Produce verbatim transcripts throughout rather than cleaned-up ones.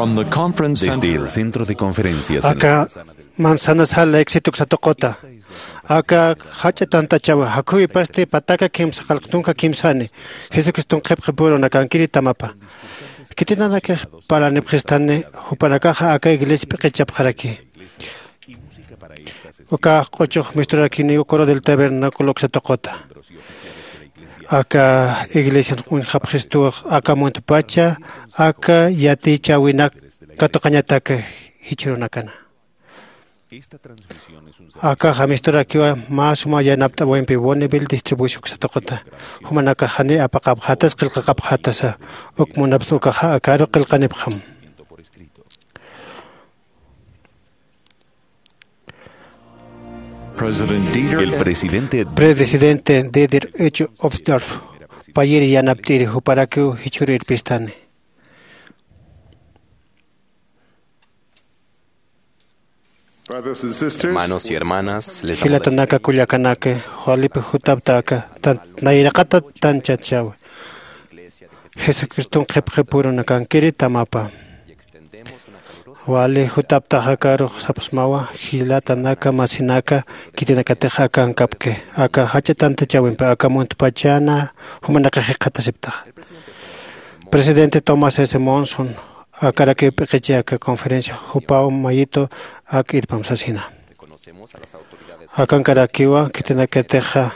From the conference Desde center el centro de conferencias en aka manzana sala éxito uksa tuquta. Aka jach'a tantachawa jakhuwipasti pataka kimsa qallq tunka kimsani. Jesucriston qhipqipürunakankiri tamapa. Khitinanakix parlanipxistani jupanakaxa aka iglesia p'iqichapxaraki. Uka q'uchux misturakiniw coro del tabernáculo uksa tuquta. Aka iglesian uñjapxistuw aka muntpacha aka yatichäwinak katuqañatak jichhürunakana. Akaxa misturakiwa mä suma yanapt'awimpi Bonneville distribución uksa tuquta. Jumanakax janiy apaqapxätas qillqaqapxätasa. Uk munapsa ukaxa akaru qillqanipxam. President Dieter El presidente Presidente Dieter H. Uchtdorf payiri yanapt'iri juparakiw jichhürïrpistani. Brothers and sisters, Hermanos y hermanas, les saluda Jilatanaka kullakanaka, walipi jutaptaka tan nayraqata tanchachawi. Jesucriston qhipqipürunakankiri tamapa. Wali jutaptax akarux sapxsmawa jilatanaka masinaka, khitinakatix akankapki aka jach'a tantachäwimpi aka muntpachana jumanakax jikxatasiptaxa. Presidente Thomas S. Monson akarakiw p'iqichi aka conferencia jupaw mayitu ak irpam sasina. Akankarakiwa khitinakatixa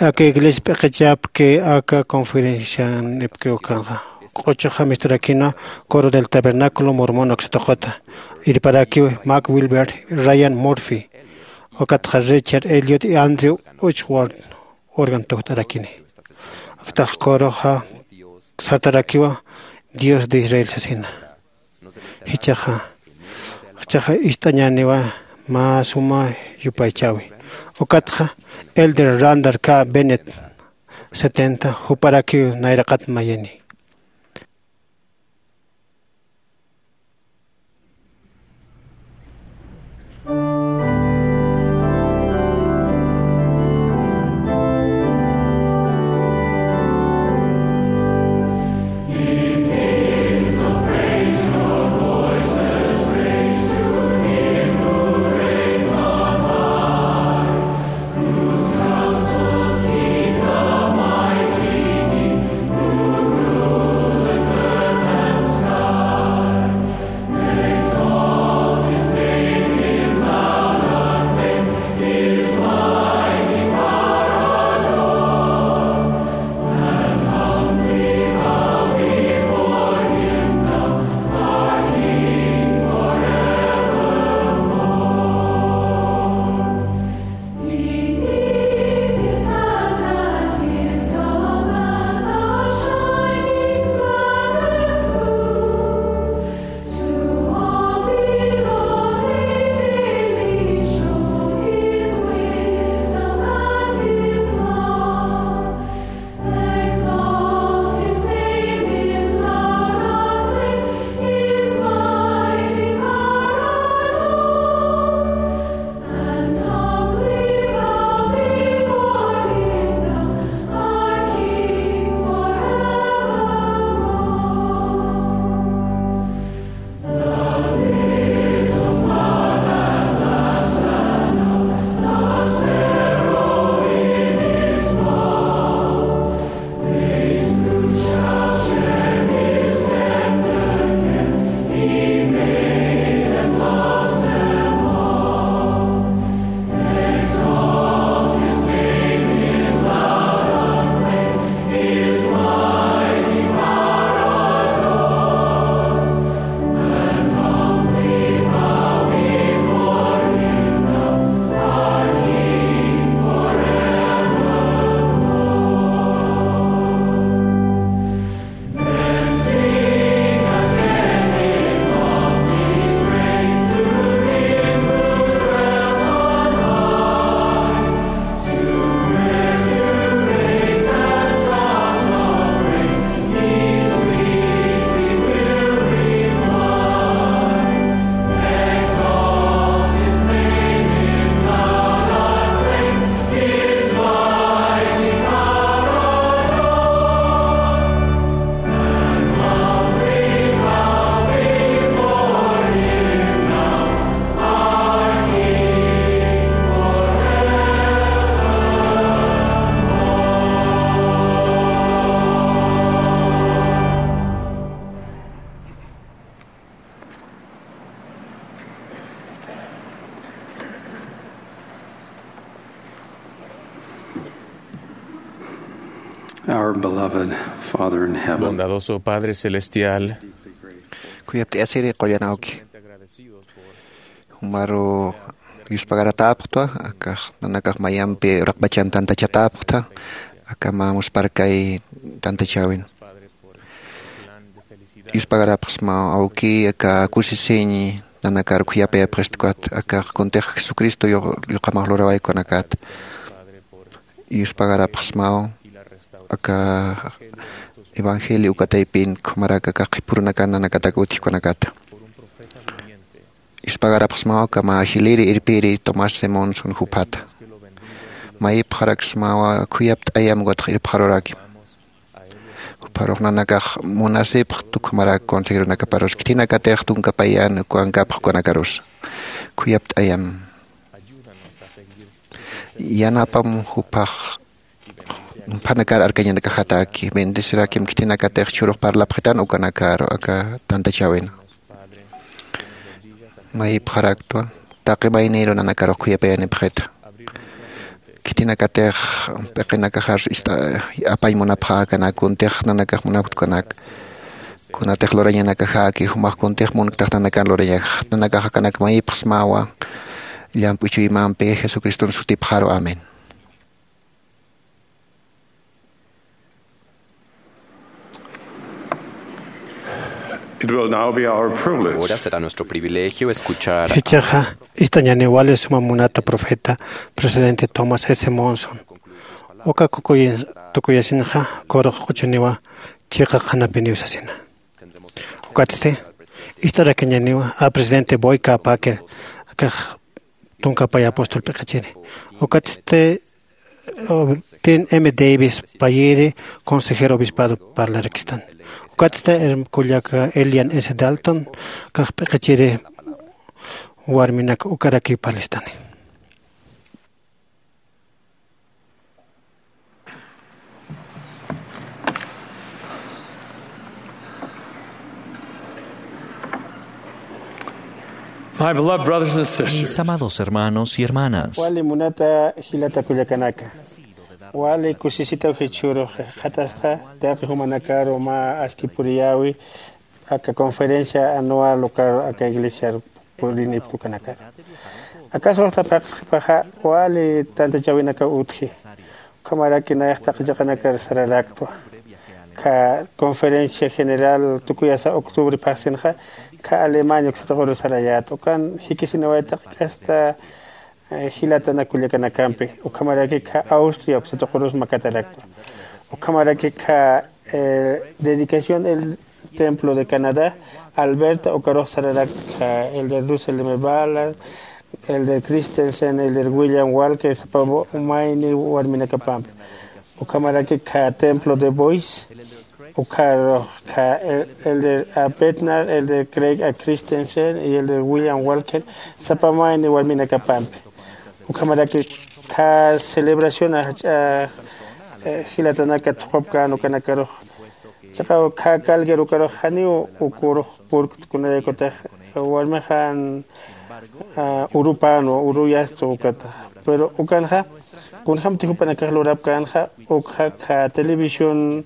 aka iglesia p'iqichapki aka conferencianipki ukanxa. Q'uchuxa misturakina coro del tabernáculo mormón uksa tuquta. Irparakiw Mac Wilber, Ryan Murphy, ukatxa Richard Elliot y Andrew Uchtdorf órgano tukt'arakini. Aktax coroxa sartarakiwa Dios de Israel sasina. Jichhaxa jichhaxa ist'añäniwa mä suma yupaychäwi. Ukatxa Elder Randall K. Bennett setenta juparakiw nayraqat mayini. Our beloved Father in heaven. Bondadoso Padre Celestial. Khuyapt'ayasiri qullan awki. Jumaru yuspagaratäpxtwa, akax nanakax mayampi uraqpachan tantachatäpxta, aka mä muspharkay tantachäwin. Yuspagarapxsmaw awki, aka kusisiñ nanakar khuyapayapxistkat, akax kuntix Jesucristo yu-, yuqamax lurawaykunakat. Yuspagarapxsmaw aka evangelio uka taypin, jumarak aka qhipurunakan nanakatak utjkunakata. Yuspagarapxsmaw aka mä jiliri irpiri Thomas Simonson juphata. Mayipxaraksmawa khuyapt'ayam ukatx irpxarurakim. Jupharux nanakax munasipxt ukhamarak consejeronakaparus, khitinakatix tunka payan ukankapx ukanakarus. Khuyapt'ayam. Yanapam juphax, juphanakar arkañanakaxataki, bendecirakim khitinakatix churux parlapxitan ukanakar aka tantachäwin. Mayipxaraktwa, taqi mayniru nanakarux khuyapayanipxita. Khitinakatix p'iqinakaxar ist'a apañ munapxäkanak, kuntix nanakax munapktkanak. Kunatix lurañanakaxäki, jumax kuntix munktax nanakan lurañax, nanakax akanak mayipxsmawa, llamp'u chuymampi Jesucriston sutipxaru. Amén. It will now be our privilege. Ahora será nuestro privilegio escuchar a Jichhaxa ist'añäni wali suma munata profeta, presidente Thomas S. Monson. Uka kukuyin-, tukuyasinxa, kurux q'uchuniwa chiqa qhanapiniw sasina. Ukatsti, ist'arakiñäniwa a presidente Boyd K. Packer, akax tunka pay apóstol p'iqichiri. Ukatsti, Tin M. Davis payiri, consejero obispado parlarakistani. Ukatsti, herm-, kullaka Elian S. Dalton, kax p'iqichiri warminak ukarakiw parlistani. My beloved brothers and sisters. Mis amados hermanos y hermanas. Wali munata jilata kullakanaka. Wali kusisitaw jichhürux qhatasta, taqi jumanakaru mä aski puriyäwi, aka conferencia anual ukaru aka iglesiar purinipxta ukanakar. Akax uxta phaxsxipaxa wali tantachäwinakaw utji. Ukhamaraki nayax taqi chiqanakar sararaktwa. Aka conferencia general tukuyasa octubre phaxsinxa, aka Alemania uksa tuquru sarayäta. Ukan jikisinawaytaq kasta, eh, jilatanak kullakanakampi. Ukhamaraki aka Austria uksa tuqurus makataraktwa. Ukhamaraki aka, eh, dedicación el templo de Canadá, Alberta, ukarux sararakta, aka Elder Russell M. Ballard, Elder Christensen, Elder William Walker, sapa mayni warminakapampi. Ukhamaraki aka templo de Boise, ukarux aka El-, Elder A. Bednar, Elder Craig A. Christensen, y Elder William Walker, sapa mayni warminakapampi. Ukhamaraki aka celebración a, a, eh, jilatanaka thuqupkän ukanakarux. Chiqa aka Calgary ukarux janiw ukurux purkt, kunaraykutix warmixan, ah, urupan, uruyasta ukata. Pero ukanxa, kunjämti jupanakax lurapkänxa, ukxa aka televisión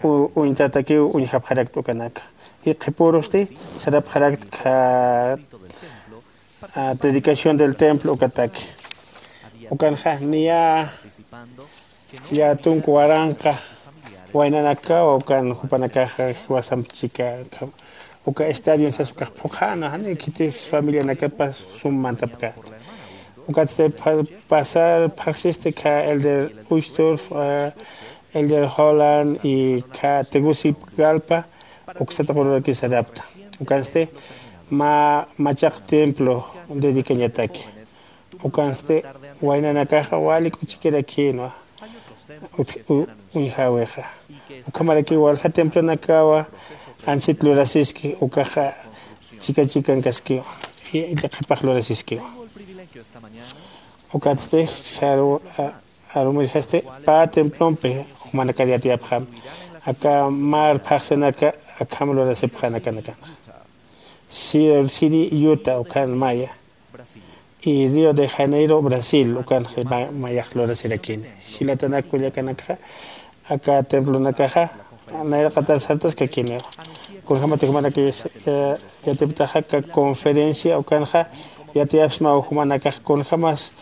u-, uñtatakiw uñjapxarakta ukanaka. Jikxipürusti, sarapxarakta aka ah, dedicación del templo ukataki. Ukanxa niya, ya tunka waranqa waynanakawa ukan jupanakaxa jiwasamp chika, uka estadio sas ukax phuqhäna, jani khitis familianakapas sum mantapkänti. Ukatsti pha-, pasar phaxsisti aka Elder Uchtdorf, ah, Elder Holland y aka Tegucigalpa, uksa tuqururaki sarapta. Ukansti mä machaq templo dedicañataki. Ukansti waynanakaxa wali k'uchikirakïnwa. Ut-, u-, uñjäwixa. Ukhamaraki walja templonakawa anchhit lurasiski, ukaxa chika chikankaskiwa. Y, y qhipax lurasiskiwa. Ukatsti, saru-, a-, arumirjasti pä templompi jumanakar yatiyapxam. Aka mar phaxsinaka akham lurasipxän akanaka. Silver City, Utah, ukan maya. Y Río de Janeiro, Brasil, ukan ma-, mayax lurasirakini. Jilatanak kullakanakxa, Aka templonakaxa nayraqatar sartaskakiniwa. Kunjämati jumanakax yatiptaxa aka conferencia ukanxa yatiyapxsmaw jumanakax kunjämas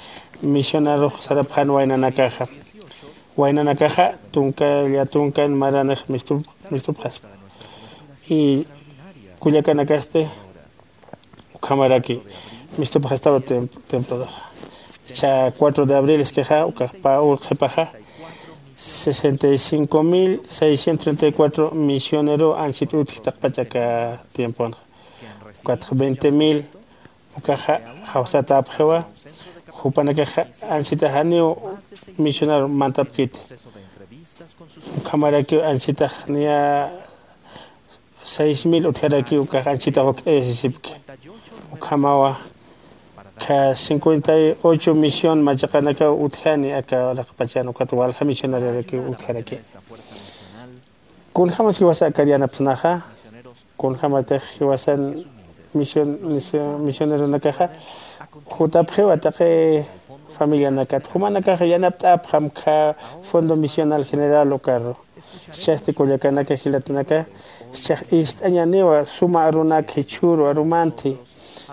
misionarux sarapxän waynanakaxa. Waynanakaxa tunka llatunkan maranix mistupxaspa. Y kullakanakasti ukhamaraki mistupxastawa templodaxa. Cha cuatro de abril iskixa ukax pä urqhipaxa sesenta y cinco mil seiscientos treinta y cuatro misionero ansit utji taqpach aka tiempona. Ukatxa veinte mil ukaxa jawsatäpxiwa. Jupanakaxa ansitax janiw misionero mantapkiti. Ukhamarakiw ansitax niya seis mil utjarakiw ukax ansitax wakt'ayasisipki. Ukhamawa ka cincuenta y ocho misión machaqanakaw utjani aka raqpachan ukat walja misionariorakiw utjaraki. Kunjämas jiwasa akar yanapsnaxa kunjämatix jiwasan misioneronakaxa jutapxiwa taqi familianakat jumanakaxa yanapt'apxam kha fondo misional general ukaru. Jichhasti kullakanaka jilatanaka jichhax ist'añaniwa suma arunak jichhüru arumanthi.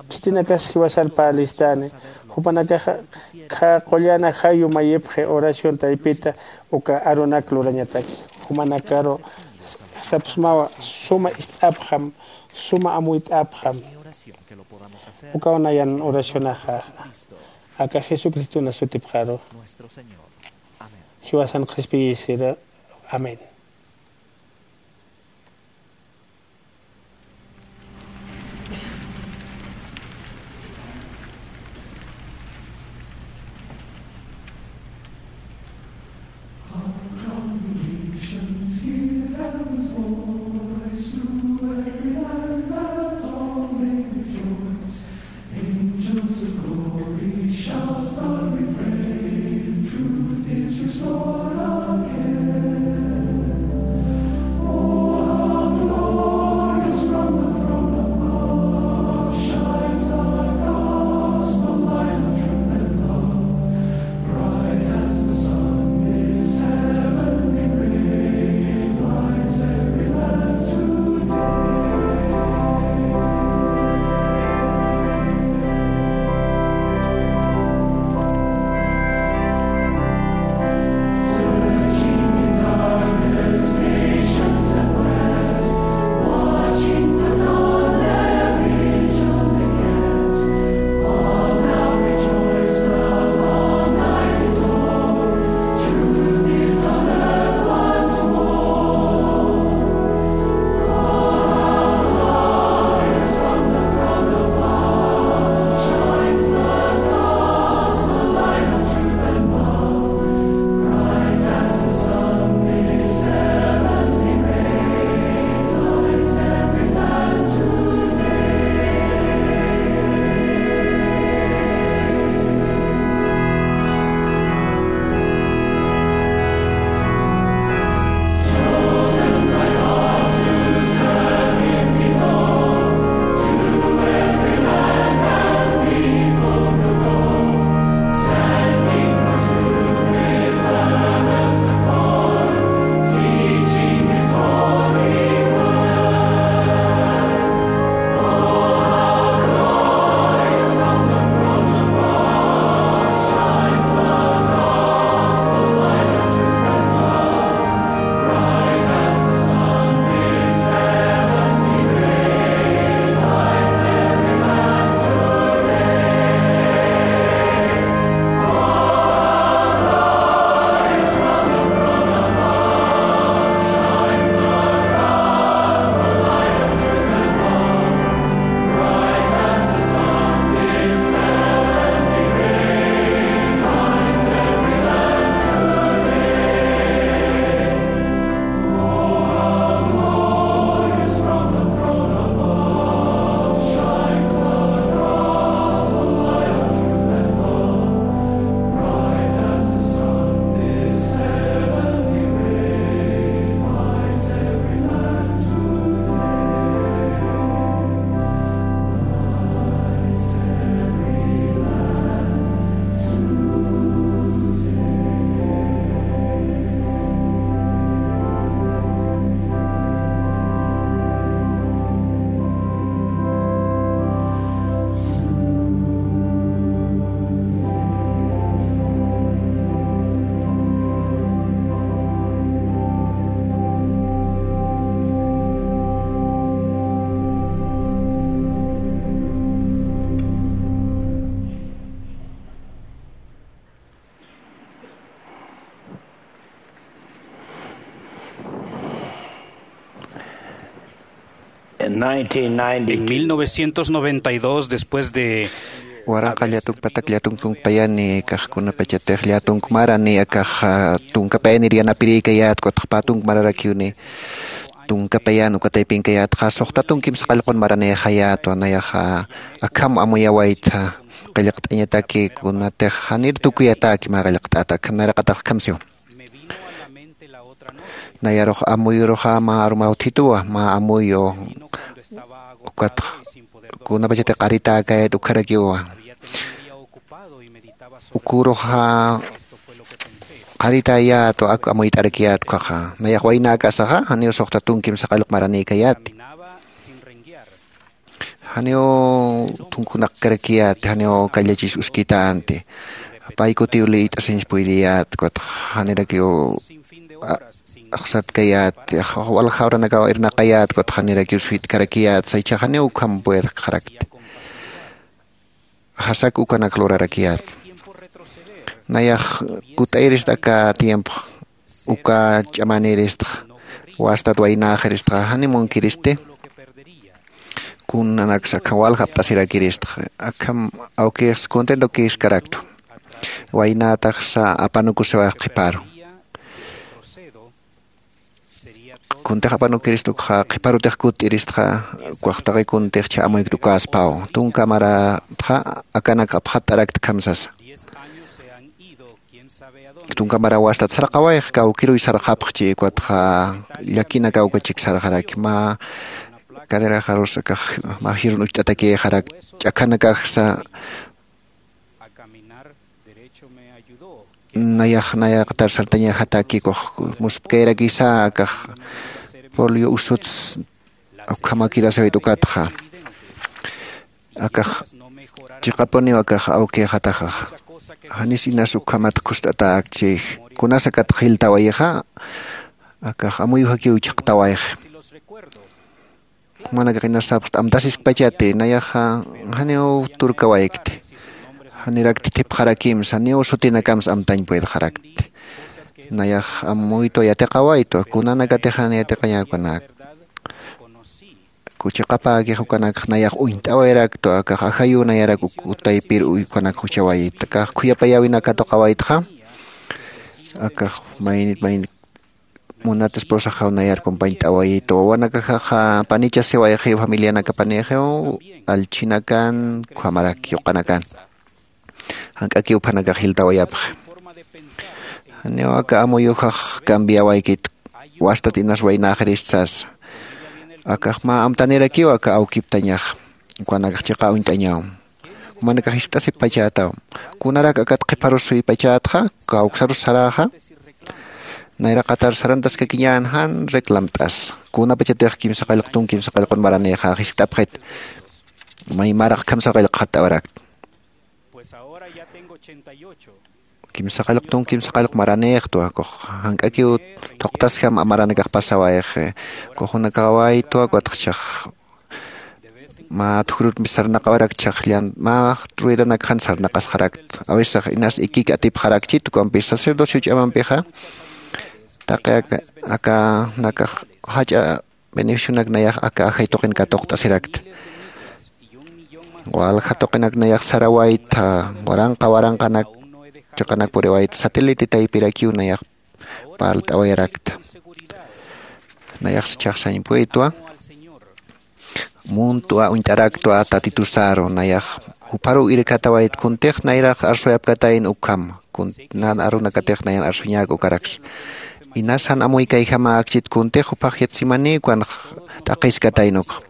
Khitinakas jiwasar pä listani. Jupanakaxa kha qullana jayu mayipxi oración taypita uka arunak lurañataki. Jumanakaru sapxsmawa suma ist'apxam suma amuyt'apxam. Ukaw nayan oracionaxa aka jesucristona sutipxaru. Jiwasan qhispiyisira. Amén. En mil novecientos noventa y dos, después de waranqa llatukpatak llatunkunkpayani akax kunapachatix llatunkmara ni akax tunkapayanir yanapirïkayät kutxpä tunkmararakiwni tunkapayan ukataypinkayätxa suxta tunkim saqallqun maranïxayätwa nayaxa akham amuyawaytha qillqt'añataki kunatix janir tukuyatäki mä qillqt'ata akham nayraqatax akham siw. Nayarux amuyuruxa mä arumaw thituwa mä amuyu ukatx kunapachati qaritäkayat ukharakiwa. Uküruxa qaritäyätwa ak amuyt'arakiyät ukhaxa nayax waynäkasaxa janiw suxta tunkim saqallq maranïkayäti. Janiw thunkunakkarakiyät janiw kallachis uskitänti. Pay kutiw liyt'asiñs puydiyät kutx janirakiw axsatkayät walja uranakaw irnaqayät kutx janirakiw suytkarakiyät saychha janiw ukham puedkxarakti. Jasak ukanak lurarakiyät nayax kut'ayirist aka tiempo uka ch'amaniristx wastat waynäxiristxa jani munkiristi. Kunanaksa akham walja apt'asirakiristxa akham awkïxs contentukïskaraktu. Waynätaxsa apanukusiwax qhiparu kuntix apanukirist ukxa qhiparutix kutt'iristxa ukax taqi kuntix chha amuykt ukäspaw tunka maratxa akanak apxatt'arakt akham sasa. Tunka mara wastat sarqawayx kawkiruy sarqapxchi ukatxa llakinakaw kachik sarqaraki mä caderarus akax mä jirun ucht'atakïxarak ch'akhanakaxsa. Nayax nayaqatar sartañaxataki ukux muspkayarakisa akax polio usuts ukhamakirasawit ukatxa akax chiqapuniw akax awkïxataxax. Janis inas ukhamat khust'atäkchi kunas akatx jiltawayixa akax amuyujakiw chhaqtawayxi. Jumanakax inas sapxta amtasiskpachati nayaxa janiw turkawaykti. Janirakti thipxarakimsa janiw sutinakams amtañ puedxarakti. Nayax amuytwa yatiqawaytwa kunanakatix jan yatiqañäkunak kuchiqapäkix ukanakx nayax uñt'awayraktwa akax ajayuw nayarak uk taypir ukanakx juchawayit akax khuyapayäwina katuqawaytxa. Akax maynit maynit munat esposaxaw nayar compañt'awayit wawanakaxaxa panichasiwayxiw familianakapanïxiw allchhinakan ukhamarak yuqanakan. Jank'akiw uphanakax jiltawayapxi. Janiw aka amuyuxax cambiawaykit wastat inas waynäxirist sasa. Akax mä amtanirakiw aka awkiptañax ukanakax chiqa uñt'añaw. Jumanakax jiskt'asipachätaw kunarak akat qhiparus suypachätxa kawksarus saräxa. Nayraqatar sarantaskakiñän jan reclamt'as kunapachatix kimsa qallqtun kimsa qallqun maranïxax jiskt'apxit. May maraq akham saqallqxatt'awarakta. Kimsa qallqtun kimsa qallq maranïxtwa ukux jank'akiw thuqtasjam amaranakax pasawayxi. Ukux junakawaytwa ukatxchax mä thujrurmpi sarnaqawarakchax llan mä ruedanakxan sarnaqasxarakt. Awisax inas ikik atipxarakchit ukampis sacerdocio ch'amampixa taqi aka nakax jach'a beneficionak nayax aka ajay tuqin katuqt'asirakta. Walja tuqinak nayax sarawaytha waranqa waranqanak chiqanak puriwayta satélite taypirakiw nayax parlt'awayarakta. Nayax chhaxsañ puytwa muntwa uñt'araktwa tatitusaru nayax jupharuw irkatawayt kuntix nayrax arsuyapkatayn ukham. Kuntnan arunakatix nayan arsuñäk ukaraks inas jan amuykayjamäkchit kuntix juphax yatsimaniw ukan t'aqhiskatayn ukxa.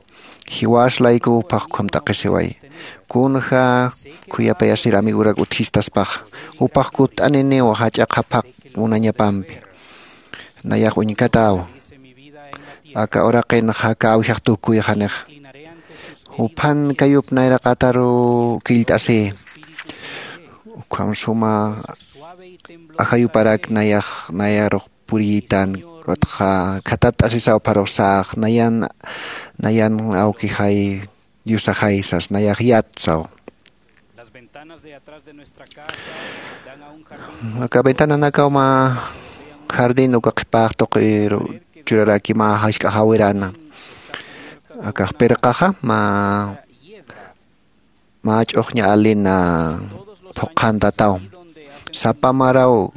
Jiwas laykuw juphax ukham t'aqhisiway. Kunja khuyapayasir amigorak utjistaspaxa juphax kutt'aniniw jach'a qhaphaq munañapampi. Nayax uñkatäw aka uraqinxa aka awjax tukuyxanixa. Juphan kayup nayraqataru killt'asï ukham suma ajayuparak nayax nayarux puriytan. Ukatxa khatatt'asisaw pharuxsax nayan nayan awkixay diosajay sas nayax yatsaw. Aka ventananakaw mä jardín uka qhipax tuqiru churaraki mä jask'a jawirana. Akax pirqaxa mä mä ch'uxña alin phuqhantataw. Sapa maraw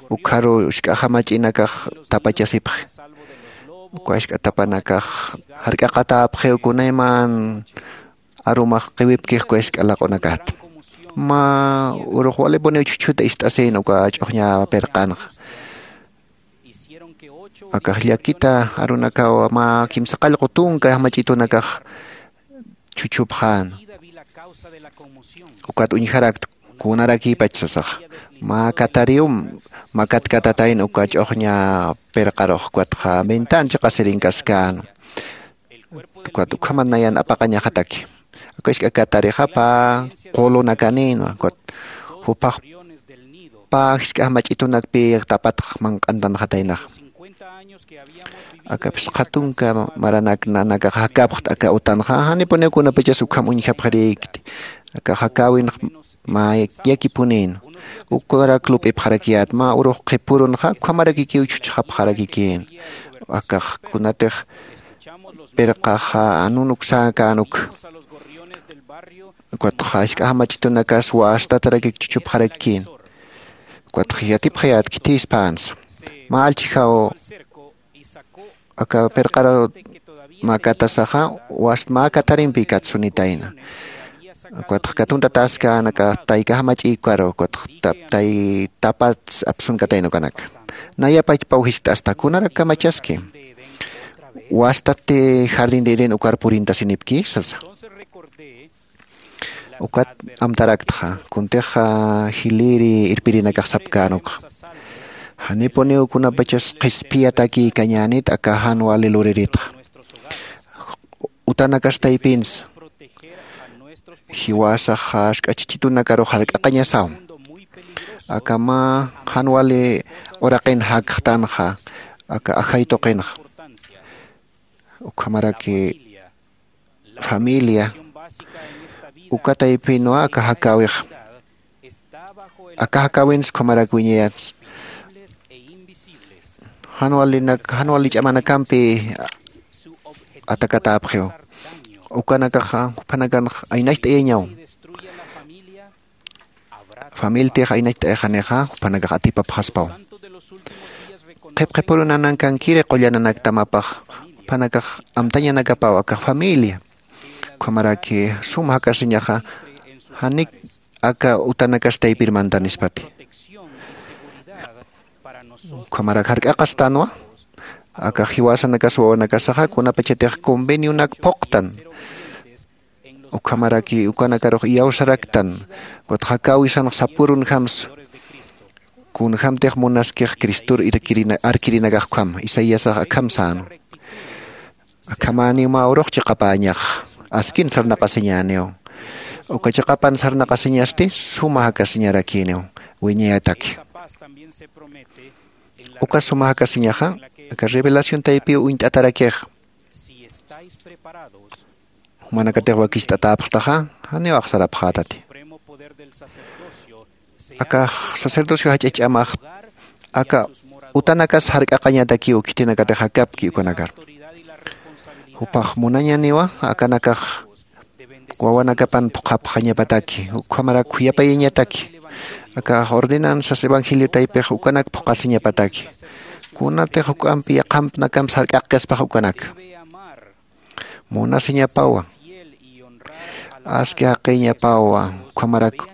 ukharu usk'a jamach'inakax tapachasipxi. Uka isk'a tapanakax jark'aqatäpxiw kunayman arumax qiwipkix uka isk'a laq'unakat. Mä urux walipuniw chhuchhuta ist'asïn uka ch'uxña pirqanxa. Akax llakita arunakaw mä kimsa qallqu tunka jamach'itunakax chhuchhupxän. Ukat uñjarakta kunarakïpach sasaxa. Mä katariw makatkatatayna uka ch'uxña pirqarux ukatxa ventana chiqasirinkaskän. Ukat ukhamat nayan apaqañaxataki. Aka isk'a katarixa pä qulunakanïnwa ukat juphax pä jisk'a jamach'itunakpi tapatx manq'antanxataynaxa. Aka phisqa tunka maranak nanakax jakapxta aka utanxa janipuniw kunapachas ukham uñjapxirïkti. Aka jakäwinx mä yakipunïn. Ukarak lup'ipxarakiyät mä urux qhipürunxa ukhamarakikiw chhuchxapxarakikïn. Akax kunatix pirqaxa anunuksäkänuk. Ukatxa jisk'a jamach'itunakas wastatarakik chhuchhupxarakikïn. Ukatxa yatipxayät khithispänsa mä allchhijaw aka pirqaraw mäkatasaxa wast mä katarimpi katsunitayna. Ukatxa katuntatäskän aka tayka jamach'ïkaru ukatxa tay tapats apsunkatayna ukanaka. Nayapachpaw jist'asta kunarak kamachaski wastati jardín de edén ukar purintasinipki sasa. Ukat amtaraktxa kuntixa jiliri irpirinakax sapkänukxa. Janipuniw kunapachas qhispiyatakïkañänit aka jan wali luriritxa. Utanakas taypinsa jiwasax jask'a chichitunakarux jark'aqañasaw. Aka mä jan wali uraqin jakxtanxa aka ajay tuqinxa. Ukhamaraki familia uka taypinwa aka jakäwix. Aka jakäwins ukhamarak wiñayats jan walinak jan wali ch'amanakampi atakatäpxiw. Ukanakaxa juphanakanx aynacht'ayañaw. Familitix aynacht'ayxanixa jupanakax atipapxaspaw. Qhipqhipürunanakankiri qullananakta mapax jupanakax amtañanakapaw aka familia. Ukhamaraki sum jakasiñaxa janik aka utanakas taypir mantanispati. Ukhamarak jark'aqastanwa aka jiwasanakas wawanakasaxa kunapachatix convenionak phuqtan. Ukhamaraki ukanakarux iyawsaraktan. Ukatxa jakäwisanx sapürunjamsa kunjämtix munaskix cristor arkirinakax ukham isaiasax akham sänwa. Akhamäniw mä urux chiqapäñax askin sarnaqasiñäniw. Uka chiqapan sarnaqasiñasti suma jakasiñarakïniw wiñayataki. Uka suma jakasiñaxa aka revelación taypiw uñt'atarakix. Jumanakatix wakicht'atäpxtaxa janiw axsarapxätati. Aka sacerdocio jach'a ch'amax aka utanakas jark'aqañatakiw khitinakatix jakapki ukanakar. Jupax munañaniwa akanakax wawanakapan phuqhapxañapataki ukhamarak khuyapayañataki. Akax ordenanzas evangelio taypix ukanak phuqhasiñapataki. Kunatix juk'ampi yaqhampnakam sark'aqkaspax ukanak munasiñapawa. Aski jaqiñapawa ukhamarak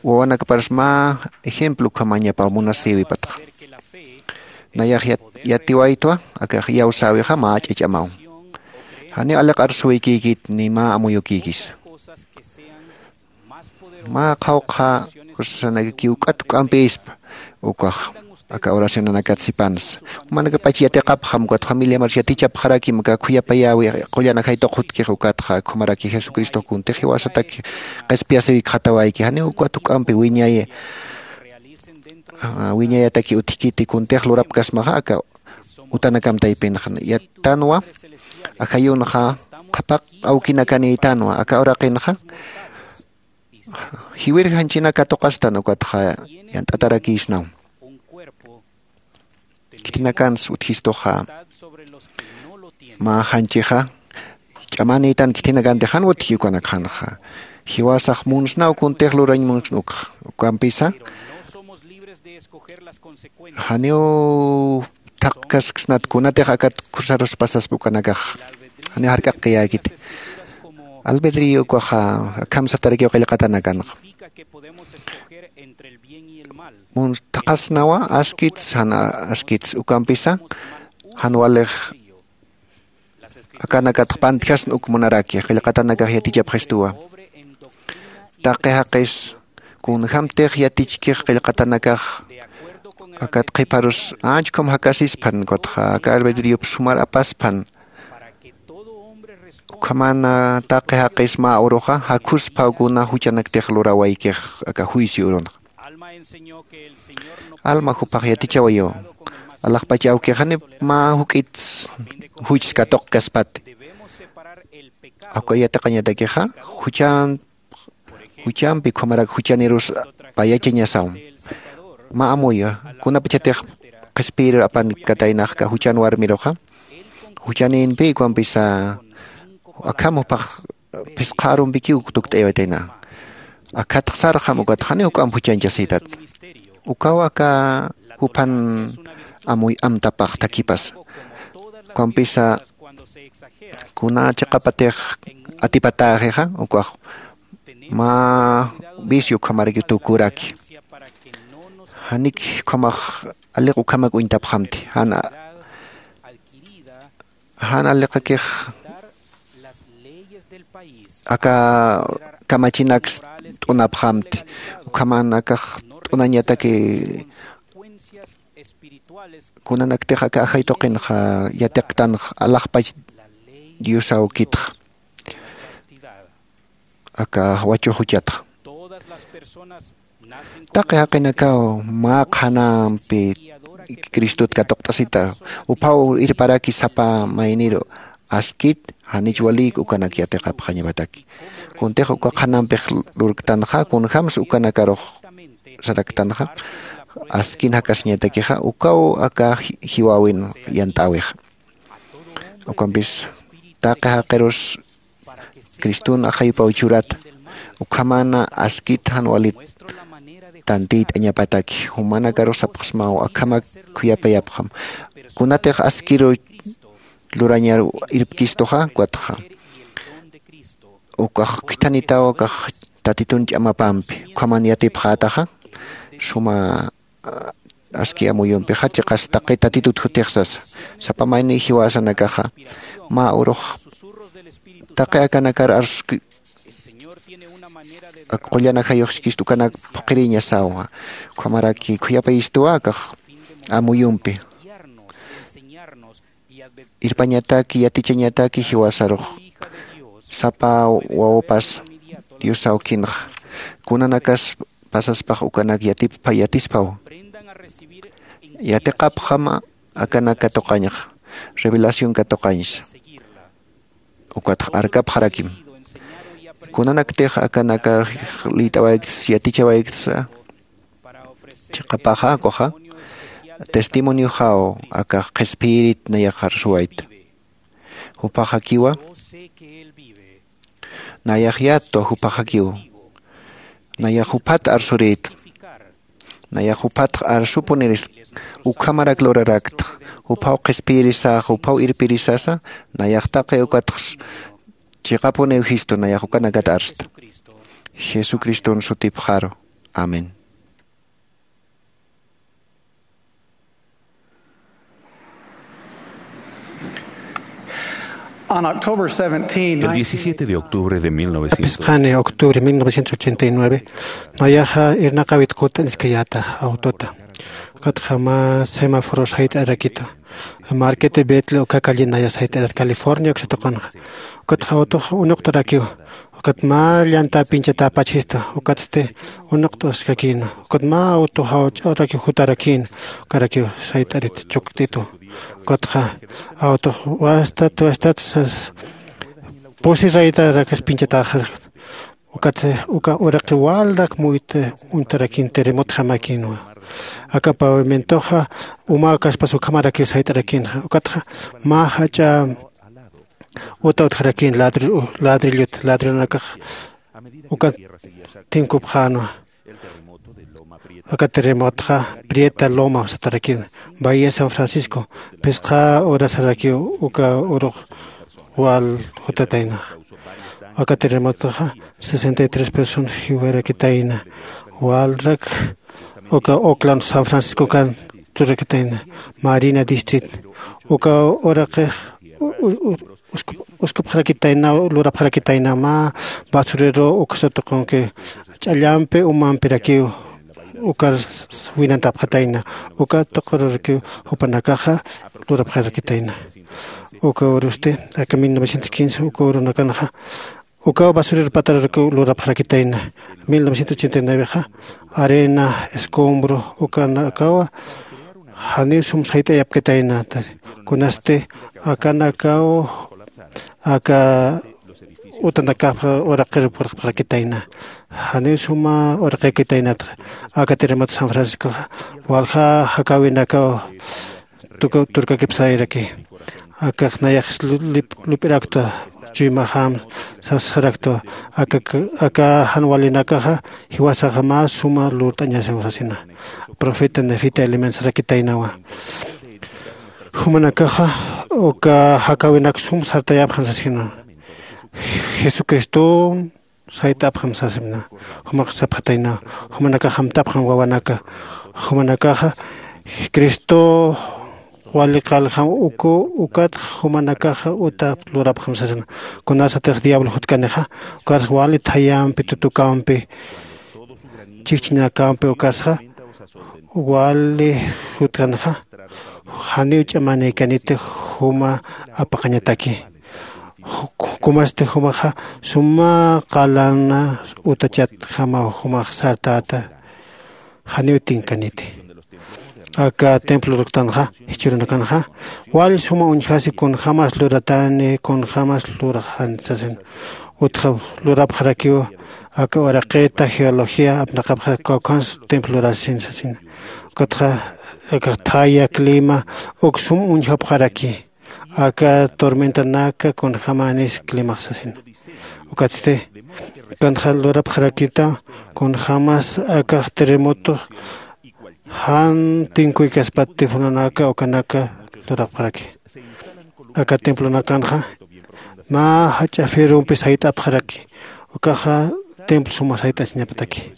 wawanakpars mä ejemplo ukhamañapaw munasïwipatxa. Nayax yatiwaytwa akax iyawsäwixa mä ch'ach'amaw. Janiw aliq'ar suwikïkit ni mä amuyukïkisa. Mä qhawqha ursanakakiw k'at k'ampïspa ukax aka oracionanakat sipansa. Jumanakapach yatiqapxam ukat familiamars yatichapxarakim aka khuyapayäwi qullan ajay tuqhutkix ukatxa ukhamaraki jesucristox kuntix jiwasatak qhispiyasiwikxatawayki janiw ukat juk'ampi wiñay wiñayataki utjkiti kuntix lurapkasmaxa aka utanakam taypinxa yattanwa. Ajayunxa qhapaq awkinakanïtanwa aka uraqinxa jiwir janchina katuqastan ukatxa yant'atarakïsnaw. Khitinakans utjistuxa mä janchixa ch'amanïtan khithinakantix jan utji ukanakxanxa. Jiwasax munsnaw kuntix lurañ munsn ukxa. Ukampisa janiw thaqkasksnat kunatix akat khusarus pasaspa ukanakax. Janiw jark'aqkayäkiti. Albedrío ukaxa akham satarakiw qillqatanakanxa. Muns thaqhasnawa askits jan askits ukampisa jan walix akanakatx pantjasn uk munaraki qillqatanakax yatichapxistuwa. Taqi jaqis kunjämtix yatichkix qillqatanakax akat qhiparus anchkham jakasispan ukatxa aka albedriop sumar apaspan. Ukhamana taqi jaqis mä uruxa jakhusphaw kuna juchanaktix lurawaykix aka juicio urunxa. Alma jupax yatichawayu alaxpach awkixanip mä juk'it juchs katuqkaspati. Awka yatiqañatakixa juchan juchampi ukhamarak juchanirus payachañasaw. Mä amuyu kunapachatix qhispiyirur apankataynaxka juchan warmiruxa juchanïnpi ukampisa akham jupax phisqha arumpikiw tukt'aywatayna. Akhatx sarxam ukatxa janiw juk'amp juchañchasïtat. Ukaw aka juphan amuy amtapax thakhipasa. Ukampisa kuna chiqapatix atipatäxixa ukax mä vicio ukhamaraki tukuraki. Janik ukhamax aliq ukhamak uñtapxamti jan jan aliqakix aka kamachinaks t'unapxamti. Ukhaman akax t'unañataki kunanaktix aka ajay tuqinxa yatiqtanx alaxpach diosawkitxa aka wachux juchatxa. Taqi jaqinakaw mä qhanampi cristot katuqt'asita. Uphaw irparaki sapa mayniru askit janich walïk ukanak yatiqapxañapataki. Kuntix uka qhanampix lurktanxa kunjämsa ukanakarux saraktanxa askin jakasiñatakixa ukaw aka jiwäwin yant'äwixa. Ukampis taqi jaqirus criston ajayupaw churata. Ukhamana askit jan walit tantiyt'añapataki jumanakarux sapxsmaw akhamak khuyapayapxam. Kunatix askiru lurañar irpkistuxa ukatxa ukax khithanitaw akax tatitun ch'amapampi ukhaman yatipxätaxa suma aski amuyumpixa chiqas taqi tatitut jutix sasa. Sapa mayniy jiwasanakaxa mä urux taqi akanakar arsuski ak qullan ajayuxskist ukanak phuqhiriñasawa. Ukhamaraki khuyapayistwa akax amuyumpi irpañataki yatichañataki jiwasarux sapa wawapas dios awkinxa kunanakas pasaspax ukanak yatippa yatispaw. Yatiqapxama akanak katuqañxa revelación katuqañsa. Ukatx arkapxarakim kunanaktix akanakar liyt'awaykts yatichawaykts chiqapaxa ukaxa testimonioxaw akax qhispiyirit nayax arsuwayta. Jupaxakiwa nayax yatwa jupaxakiw nayax juphat arsurïtwa. Nayax juphatx arsupuniris ukhamarak lurarakta juphaw qhispiyirisaxa juphaw irpirisasa nayax taqi ukatx chiqapuniw jistu nayax ukanakat arsta. Jesucriston sutipxaru. Amén. On October seventeenth, El diecisiete de octubre de mil novecientos, pisqani octubre mil novecientos ochenta y nueve, nayaxa irnaqawit kut'aniskayäta autota. Ukatxa mä semáforos jayt'arakitu marquete betle uka callin naya sayt'arat california uksatuqanxa. Ukatxa autoxa unuqtarakiw ukat mä llantäpinchatäpachista ukatsti unuqt'askakïna. Ukat mä autoxa jawch'arakiw jutarakïna ukarakiw sayt'arit chukt'itu. Ukatxa autox wastat wastat sas pusi raytarakas pinchatäxa. Ukat uka uraqi walrak muyt uñtarakin terremotjamäkinwa. Aka pavimentoxa umäkaspas ukhamarakiw sayt'arakinxa ukatxa mä jach'a Uta utjarakïn ladrillut ladrilunakax uka tinkupxänwa. Aka terremotxa prieta loma satarakïn bahía san francisco. Phisqa horasarakiw uka urux wal jutataynaxa. Aka terremotoxa sesenta y tres personas jiwarakitayna. Walrak uka oclan san francisco kan turakitayna marina district. Uka uraqix uskupxarakitayna lurapxarakitayna mä basurero uksa tuqunki ch'allampi umampirakiw. Ukar winantapxatayna uka tuqururakiw jupanakaxa lurapxarakitayna. Uka urusti aka mil novecientos quince uka urunakanxa ukaw basurero patarurakiw lurapxarakitayna. Mil novecientos ochenta y nuevexa arena escombro ukanakawa janiw sum sayt'ayapkatayna. Kunasti akanakaw aka utanakapxa uraqir purxpxarakitayna. Janiw suma uraqikitaynatxa aka terremoto san franciscoxa walja jakawinakaw turkakipsayraki. Akax nayax lup'iraktwa chuymaxam sasxaraktwa. Aka jan walinakaxa jiwasaxa mä suma lurt'añasaw sasina. Profeta nefita elementosarakitaynawa jumanakaxa uka jakäwinak sum sartayapxan sasina. Jesucriston sayt'apxam sasina. Jumax sapxatayna jumanakax amtapxam wawanaka. Jumanakaxa cristo wali qaljam uku ukatx jumanakaxa uta lurapxam sasina. Kunasatix diablo jutkanixa ukarsa wali thayampi tutukampi chijchinakampi ukarsa wali jutkanxa janiw ch'amanïkaniti juma apaqañataki. Kumasti jumaxa suma qalana utachatjamaw jumax sartäta janiw tinkaniti. Aka templo lurktanxa jichhürunakanxa wal suma uñjasi kunjämas luratani kunjämas luraxani sasin. Utxa lurapxarakiw aka uraqita geología apnaqapxarak kawkhans templo lurasin sasina. Ukatxa aka thaya clima uk sum uñjapxaraki. Aka tormentanaka kunjämanis climax sasina. Ukatsti ukanxa lurapxarakita kunjämas akax terremoto jan tinkuykaspati funanaka ukanaka lurapxaraki. Aka templonakanxa mä jach'a ferrompi sayt'apxaraki. Ukaxa templo suma sayt'asiñapataki.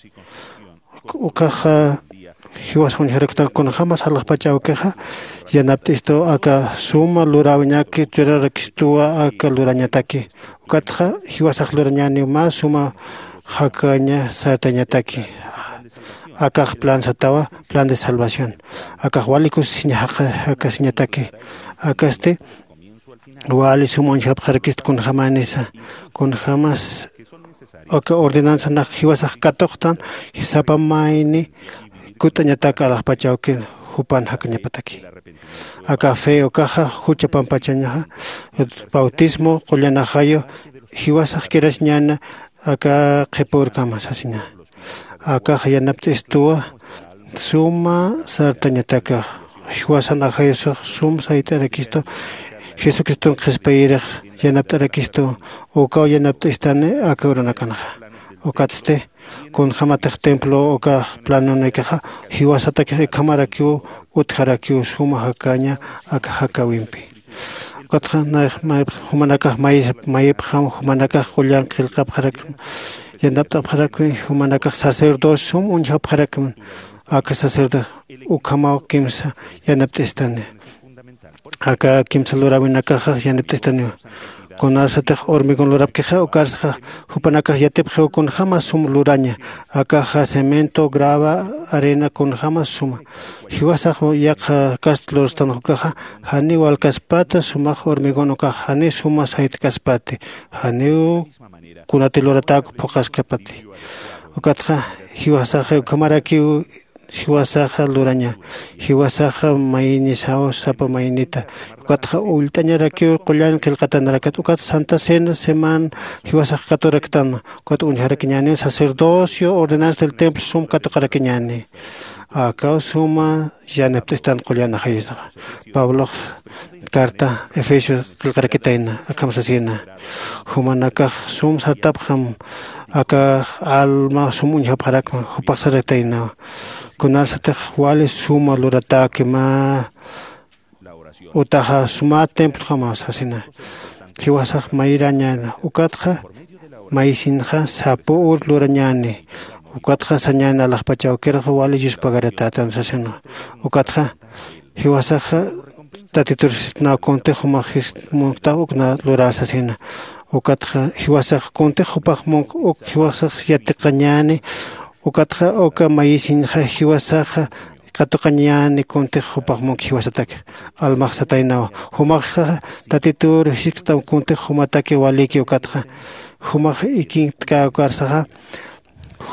Ukaxa jiwasa uñjaraktan kunjämas alaxpach awkixa yanapt'istu aka suma luräwiñaki churarakistuwa aka lurañataki. Ukatxa jiwasax lurañäniw mä suma jakaña sartañataki. Akax plan satawa plan de salvación. Akax wali kusisiña jakasiñataki. Akasti wali sum uñjapxarakist kunjämanisa kunjämas aka ordenanzanax jiwasax katuqtan sapa mayni kut'añatak alaxpach awkin jupan jakañapataki. Aka fe ukaxa jucha pampachañaxa bautismo qullan ajayu jiwasax kirasiñäna aka qhipa urkama sasina. Akax yanapt'istuwa suma sartañatakax jiwasan ajayusix sum sayt'arakistu jesucriston qhispiyirix yanapt'arakistu ukaw yanapt'istani aka urunakanxa. Ukatsti kunjämatix templo ukax planonïkaxa jiwasatakix ukhamarakiw utjarakiw suma jakaña aka jakäwimpi. Ukatxa nayax jumanakax mayipxam jumanakax qullan qillqapxarakma yanapt'apxarakmi jumanakax sacerdocio sum uñjapxarakma. Aka sacerdocio ukhamaw kimsa yanapt'istani. Aka kimsa luräwinakaxax yanapt'istaniwa. Kunasatix hormigón lurapkixa ukarsaxa jupanakax yatipxiw kunjämas sum luraña. Akaxa cemento grava arena kunjämas suma jiwasax yaqha kast lurstanxa ukaxa janiw walkaspata sumax hormigón ukax janiw suma saytkaspati janiw kunati luratäk phuqhaskapati. Ukatxa jiwasaxa ukhamarakiw jiwasaxa luraña. Jiwasaxa maynisaw sapa maynita. Ukatxa ullt'añarakiw qullan qillqatanarakat ukat santa cena semana jiwasax katuraktan. Ukat uñjarakiñäniw sacerdocio ordenanza del templo sum katuqarakiñäni. Akaw suma yanapt'istan qullan ajayusaxa. Pablox carta efesio qillqarakitayna akham sasina, jumanakax sum sartapxam akax alma sum uñjapxarakma. Jupax sarataynawa, kunarsatix wali suma luratäki mä utaxa sumä templojama sasina. Jiwasax mayrañäna ukatxa mayisinxa sapu ur lurañäni. Ukatxa sañäni alaxpachawkirxa wali yuspagaratätan sasina. Ukatxa jiwasaxa tatitur sistnaw kuntix jumax jist munktax ukna luräsasina. Ukatxa jiwasax kuntix jupax munk uk jiwasax yatiqañäni. Ukatxa uka mayisiñxa jiwasaxa katuqañäni kuntix jupax munk jiwasatak. Almax sataynawa, jumaxa tatitur jisktam kuntix jumataki waliki. Ukatxa jumax ikinktkäkarsaxa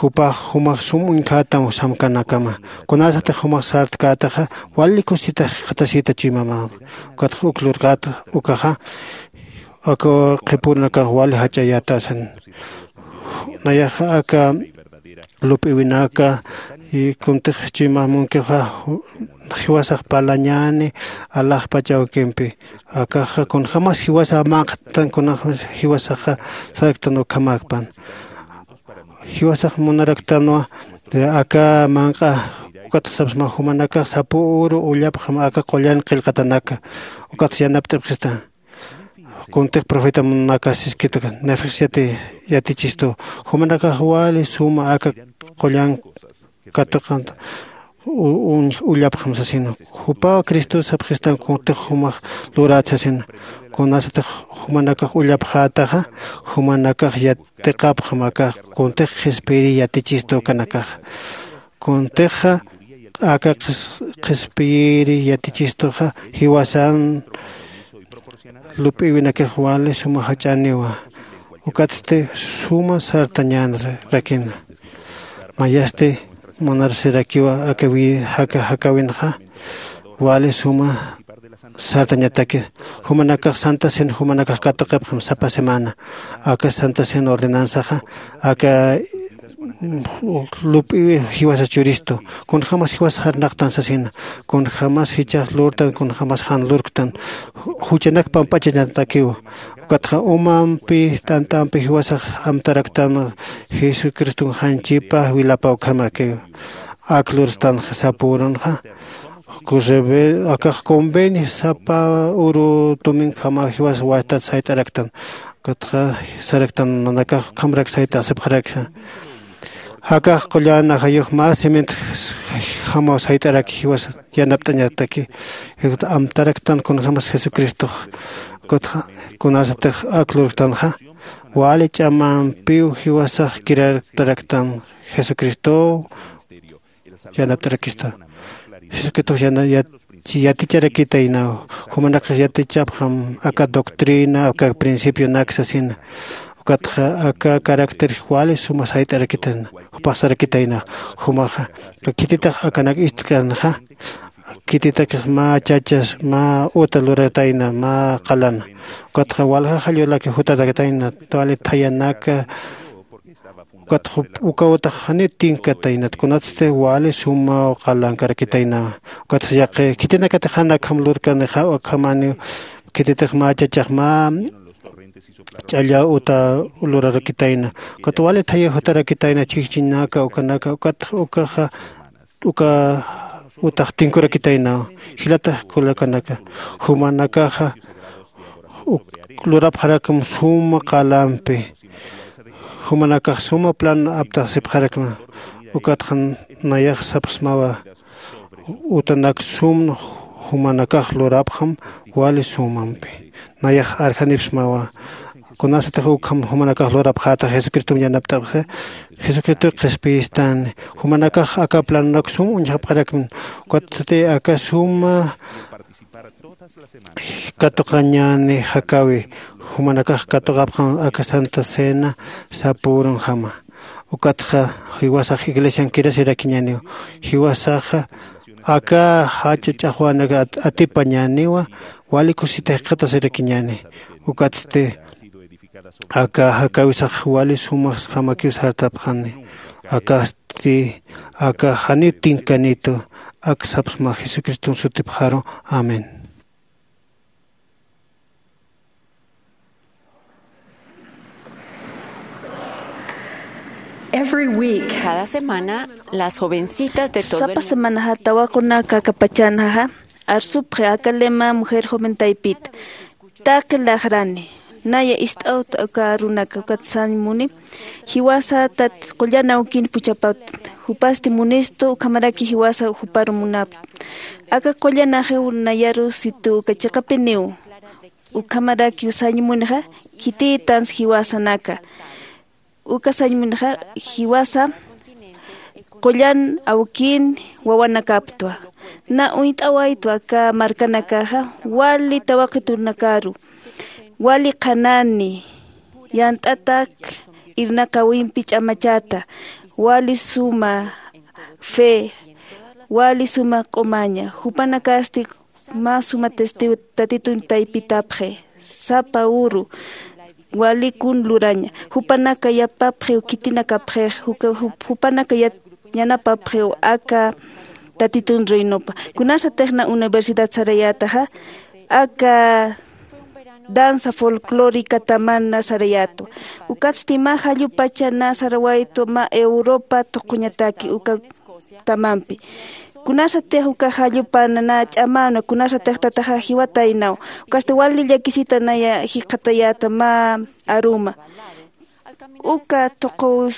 jupax jumax sum uñjätam samkanakama. Kunasatix jumax sartkätaxa wali kusisitax jikxatasita chuymamama. Ukatxa uk lurkäta ukaxa aka qhipürnakax wali jach'ayätasan. Nayaxa aka lup'iwinaka kuntix chuymamunkixa jiwasax parlañäni alaxpachawkimpi. Akaxa kunjämas jiwasax manq'tan kunjämas jiwasaxa saraktan ukhamäkpan. Jiwasax munaraktanwa aka manq'a ukatxa sapsma jumanakax sapu uru ullapxam aka qullan qillqatanaka. Ukatxa yanapt'ipxista kuntix profeta munaka siskituka nefix yati yatichistu. Jumanakax wali suma aka qullan katuqanta ullapxam sasina. Jupaw cristos sapxistan kuntix jumax lurat sasina. Kunasatix jumanakax ullapxätaxa jumanakax yatiqapxam akax kuntix qhispiyiri yatichistu ukanakaxa. Kuntixa aka qhispiyiri yatichistuxa jiwasan lup'iwinakix wali suma jach'aniwa. Ukatsti suma sartañänarakina. Mayasti munarsirakiwa aka jaka jakawinxa wali suma sartañataki. Jumanakax santa cena jumanakax katuqipxam sapa semana. Aka santa cena ordenanzaxa aka lup'iwi jiwasa churistu. Kunjämas jiwasa jarnaqtan sasina. Kunjämas jichhax lurtan kunjämas jan lurktan. Juchanak pamp'achañatakiw. Ukatxa umampi t'ant'ampi jiwasax amtaraktan jesucriston janchipa wilapa ukhamakiw. Ak lurstanxa sapürunxa akax convenio sapa uru tuminkhama jiwas wastat sayt'araktan. Ukatxa saraktan nanakax ukhamrak sayt'asipxarakxa. Jakax qullan ajayux mä cement jamaw sayt'araki jiwas yanapt'añataki. Amtaraktan kunjämas jesucristox. Ukatxa kunasatix ak lurktanxa wali ch'amampiw jiwasax kirarktaraktan jesucristow yanapt'arakista. Jesucristox yaticharakitaynaw. Jumanakax yatichapxam aka doctrina aka principionak sasina. Ukatxa aka caracter wali suma sayt'arakitayna. Jupax sarakitaynax jumaxa khititix akanak ist'kanxa khititakix mä chachas mä uta luratayna mä qalana. Ukatxa walja jallulaki jutarakitayna wali thayanaka. Ukatxa uka utax jani tinkataynat kunatsti wali sumaw qalankarakitayna. Ukatxa yaqi khitinakatix jan akham lurkanixa akhamaniw khititix mä chachax mä ch'allaw uta lurarakitayna. Ukat wali thaya jutarakitayna chhijchinaka ukanaka ukatxa ukaxa uka utax tinkurakitaynaw. Jilata kulakanaka, jumanakaxa lurapxarakum suma qalampi. Jumanakax suma plan aptaxsipxarakma. Ukatxa nayax sapxsmawa, utanak sum jumanakax lurapxam wali sumampi. Nayax arjanipsmawa, kunasatix ukham jumanakax lurapxätax jesucristom yanapt'apxi. Jesucristox qhispiyistani. Jumanakax aka planonak sum uñjapxarakman. Ukatsti aka suma katuqañäni jakäwi. Jumanakax katuqapxam aka santa cena sapürunjama. Ukatxa jiwasax iglesian kirasirakiñäniw. Jiwasaxa aka jacha ch'axwänak atipañäniwa. Wali kusisita jikxatasirakiñäni. Ukatsti aka jakäwisax wali sumaxsjamakiw sartapxani. Akasti Ukasti aka janir tinkanitu, ak sapxma Jesucriston sutipxaru. Amén. Every week, cada semana, las jovencitas de todo el sapa mundo semanaxa tawaqunaka aka pachanxa arsupxi aka lema mujer joven taypit. Taqi laxrani naya ist'awt uka arunaka ukat sañ muni jiwasa tat qullan awkin puchapat, jupasti munistu ukhamaraki jiwasa juparu munapt. Aka qullan axiw nayaru situ uka chiqapiniw. Ukhamaraki sañ munixa khitïtans jiwasanaka. Uka sañ munixa jiwasa qullan awkin wawanakaptwa. Na uñt'awaytwa aka markanakaxa wali tawaqitunakaru, wali qhanani, yant'atak irnaqäwimpi ch'amachata, wali suma fe, wali suma q'umaña. Jupanakasti mä suma testigo tatitun taypitapxi. Sapa uru wali kun luraña. Jupanaka yapapxiw khitinakapxix, juka- jup- jupanaka yat- yanapapxiw aka tatitun reinopa. Kunasatix na universidad sarayätaxa aka danza folclóricataman na sarayätwa. Ukatsti mä jallupacha na sarawaytwa mä Europa tuquñataki uka tamampi. Kunasatix uka jallupan na ch'amänwa, kunasatix tataxa jiwataynaw. Ukasti wali llakisita naya jikxatayäta mä aruma. Uka tuqu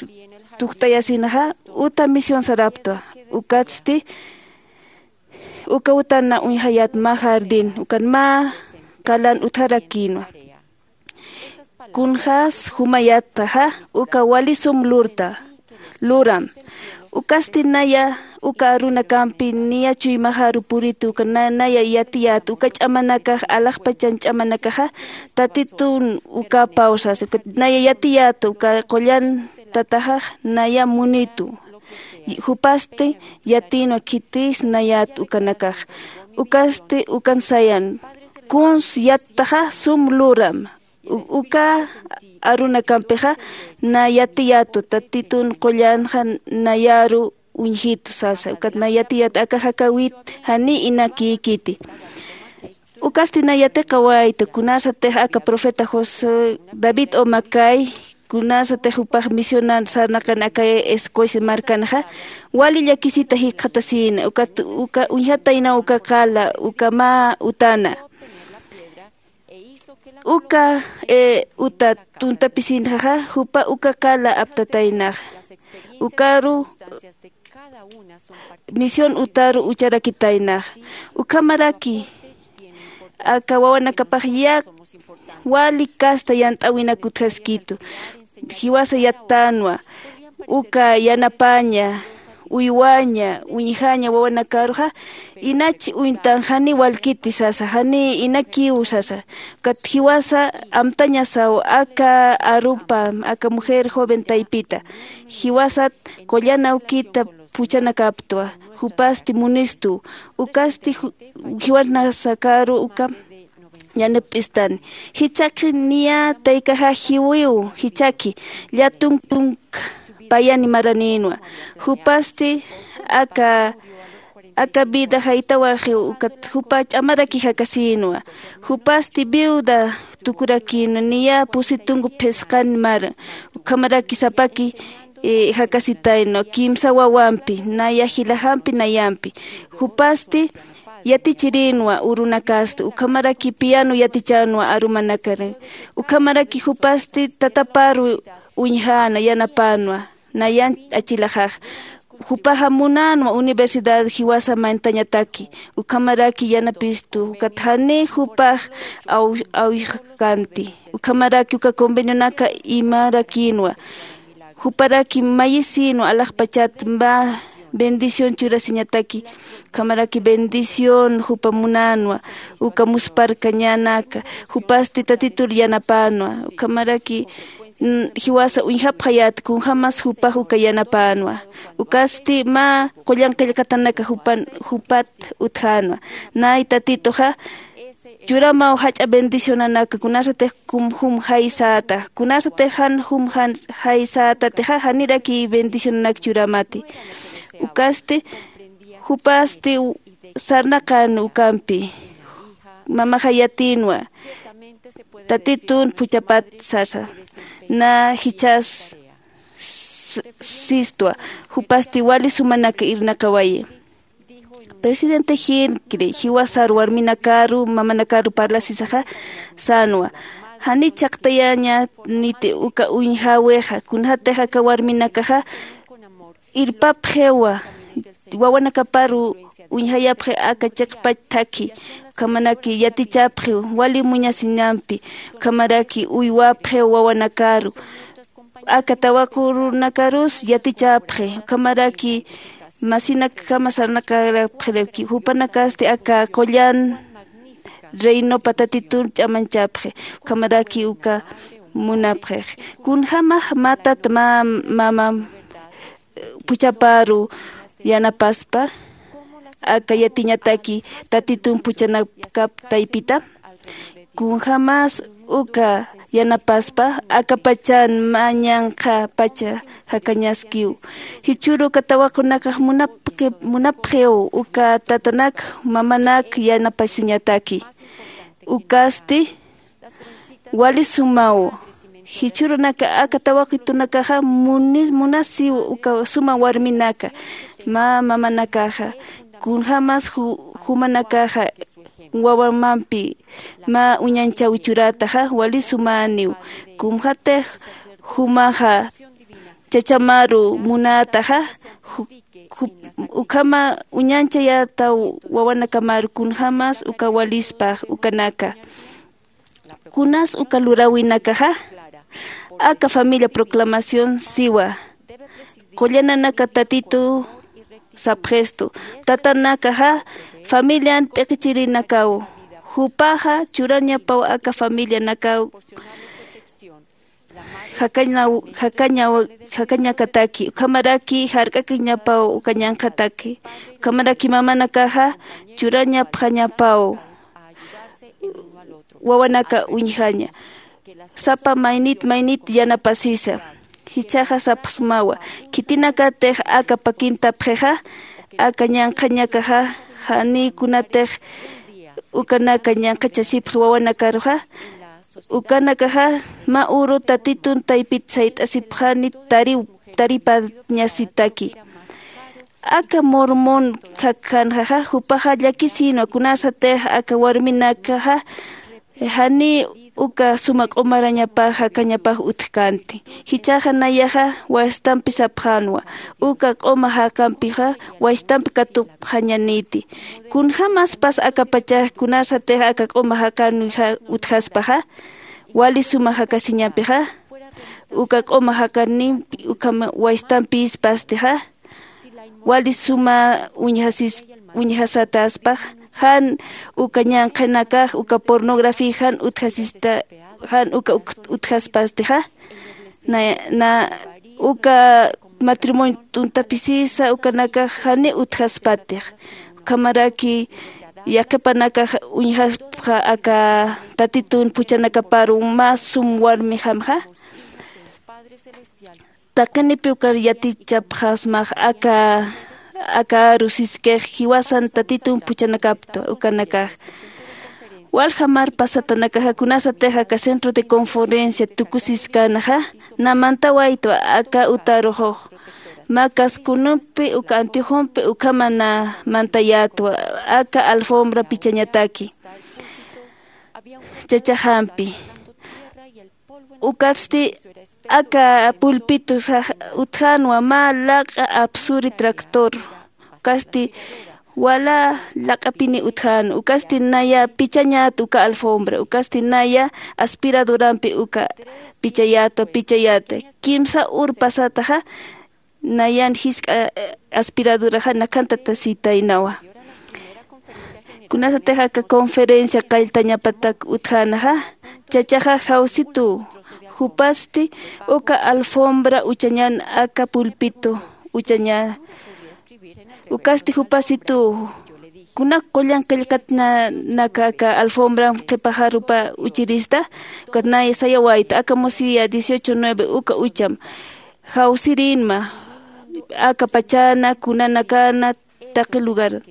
tujt'ayasinxa uta misión saraptwa. Ukatsti uka utan na uñjayät mä jardín ukan mä qalan utjarakïnwa. Kunxas jumayätaxa uka wali sum lurta luram. Ukasti naya uka arunakampi niya chuymaxaru puritu uka na- naya yatiyät uka ch'amanakax alaxpachan ch'amanakaxa tatitun ukapaw sasa uka naya yatiyät uka qullan tataxax naya munitu. Jupasti yatïnwa khitis nayät ukanakax. Ukasti ukan sayan kuns yattaxa sum luram. U- uka arunakampixa na yatiyätwa tatitun qullanxa nayaru uñjitu sasa ukat na yatiyät aka jakawit jani inakïkiti. Ukasti na yatiqawayta kunasatix aka profeta José David Omakay kunasatix jupax misionan sarnaqan aka Escocia markanxa wali llakisita jikxatasïna ukat uka uñjataynaw uka qala uka mä utana. Uka e uta tuntapisinxaxa jupa uka qala aptataynax. Ukaru misión utaru ucharakitaynax. Ukhamaraki aka wawanakapax yak wali kasta yant'äwinak utjaskitu. Jiwasa yattänwa uka yanapaña uywaña uñjaña wawanakaruxa inach uñtan jani walkiti sasa jani inakiw sasa. Ukat jiwasa amtañasaw aka arupa aka mujer joven taypita jiwasat qullan awkita puchanakaptwa. Jupasti munistu ukasti ju- jiwasnasakaru uka yanapt'istani. Jichhaki niya taykaxa jiwiw jichhaki llätunk tunk payani maranïnwa. Jupasti aka aka vida jaytawaxiw ukat jupa ch'amaraki jakasïnwa. Jupasti viuda tukurakïnwa niya pusi tunk phisqan mara ukhamaraki sapaki e jakasitayna kimsa wawampi naya jilaxampi nayampi. Jupasti yatichirïnwa urunakasta ukhamaraki piano yatichänwa arumanakar. Ukhamaraki jupasti tataparu uñjäna yanapänwa nayan achilaxax. Jupaxa munänwa universidad jiwasa mantañataki ukhamaraki yanapistu ukat jani jupax aw- awixkanti. Ukhamaraki uka convenionaka imarakïnwa. Juparaki mayisïnwa alaxpachat mä bendición churasiñataki. Ukhamaraki bendición jupa munänwa uka musparkañanaka. Jupasti tatitur yanapänwa ukhamaraki jiwasa uñjapxayät kunjämas jupax uka yanapänwa. Ukasti mä qullan qillqatanaka jupan jupat utjänwa. Nay tatituxa churamaw jach'a bendicionanaka, kunasatix kum jum jaysäta, kunasatix jan jum jan jaysätatixa janiraki bendicionanak churamati. Ukasti jupasti sarnaqän ukampi, mamaxa yatïnwa, tatitun phuchhapat sasa, na jichhas s- sistwa, jupasti wali sumanak irnaqawayi. Presidente Hinckley jiwasar warminakaru mamanakaru parlasisaxa sänwa, jani chhaqtayañäniti uka uñjäwixa, kunatix aka warminakaxa irpapxiwa wawanakaparu uñjayapxi aka chiqpach thakhi, ukhamaraki yatichapxiw wali muñasinampi, ukhamaraki uywapxiw wawanakaru, aka tawaqürunakarus yatichapxi, ukhamaraki masinakjama sarnaqarapxiraki, jupanakasti aka qullan reinopa tatitun ch'amanchapxi, ukhamaraki uka munapxix. Kunjämax mä tata mä mama phuchhaparu yanapaspa aka yatiñataki tatitun phuchhanakap taypita? Kunjämas uka yanapaspa, akapachan mä ñanqha pacha jakañaskiw. Jichhüru uka tawaqunakax munapxi- munapxiw uka tatanak mamanak yanapasiñataki. Ukasti wali sumaw. Jichhürunaka aka tawaqitunakaxa muni- munasiw uka suma warminaka, mä mamanakaxa. Kunjämas ju- jumanakaxa wawamampi mä uñanchaw churätaxa wali sumäniw. Kunjätix jumaxa chachamaru munätaxa, ju- ju- ukhama uñanchayätaw wawanakamaru, kunjämas uka walispax ukanaka. Kunas uka luräwinakaxa? Aka familia proclamación siwa, qullananaka tatitu sapxistu. Tatanakaxa familian p'iqichirinakaw, jupaxa churañapaw aka familianakaw jakañaw- jakañaw- jakañakataki, ukhamaraki jark'akiñapaw uka ñanqhataki, ukhamaraki mamanakaxa churañapxañapaw wawanaka uñjaña. Sapa maynit maynit yanapasisa. Jichhaxa sapxsmawa, khitinakatix aka pakintapxixa, aka ñanqhañakaxa, janiw kunatix ukanaka ñanqhachasipxi wawanakaruxa, ukanakaxa mä uru tatitun taypit sayt'asipxani tariw- taripañasitaki. Aka mormon jakjanxaxa, jupaxa llakisïnwa kunasatix aka warminakaxa janiw uka suma q'umarañapax jakañapax utjkänti. Jichhaxa nayaxa wastampi sapxänwa, uka q'uma jaqampixa wastampi katupxañaniti. Kunjämaspas akapachax kunasatix aka q'uma jaqanwi ja- utjaspaxa, wali suma jakasiñampixa, uka q'uma jaqanimpi ukham wastampïspastixa, wali suma uñjasis- uñjasatäspax, jan uka ñanqhanakax uka pornografía jan utjasista, jan uka uk- utjaspastixa, na- na- uka matrimonio t'untapisisa ukanakax janiw utjaspatix. Ukhamaraki yaqhipanakax uñjaspxa aka tatitun phuchhanakaparu mä sum warmixamxa. Taqinipi ukar yatichapxasmax aka aka aru siskix jiwasan tatitun phuchhanakapta ukanakax. Walja mar pasatanakaxa kunasatix aka centro de conferencia tukusiskänaxa, na mantawaytwa aka utaruxux, mä Cascunumpi uka Antiojonpi ukhama na mantayätwa aka alfombra pichañataki chachaxampi. Ukatsti aka pulpito sax- utjänwa mä laq'a apsuri tractor, ukasti wala laq'apini utjän, ukasti naya pichañät uka alfombra, ukasti naya aspiradorampi uka pichayätwa pichayäta. Kimsa ur pasataxa nayan jisk'a aspiradoraxa nakhantatasitaynawa. Kunasatix aka conferencia qalltañapatak utjänaxa, chachaxa jawsituw, jupasti uka alfombra uchañan aka pulpito uchaña. Ukasti jupasituw Kunak qullan qillqatnanaka aka alfombram qhipaxarupa uchirista, ukat nay sayawayta, aka musiya dieciocho nueve uka ucham jawsirinma, aka pachana, kunanakana, taqi lugar.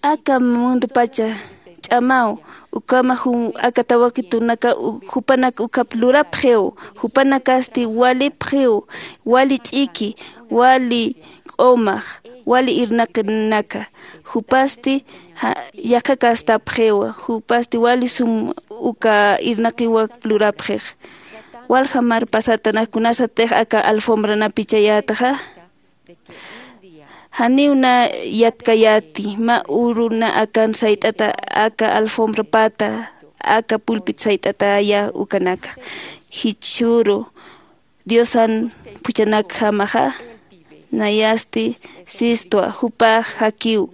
Aka mundupacha ch'amaw, ukhama jun aka tawakitunaka u-, jupanak ukhap lurapxiw, jupanakasti walipxiw, wali ch'iki, wali q'umax, wali irnaqinaka, jupasti ja-, yaqha kastapxiw, jupasti wali sum uka irnaqiwak lurapxix. Walja mar pasatanak kunasatix aka alfombranapi chayätaxa. Janiw na yatkayäti, mä uruna akan sayt'ata aka alfombrapata, aka pulpit sayt'ataya ukanaka. Jichhüru Diosan phuchanakjamaxa, nayasti sistwa, jupax jakiw,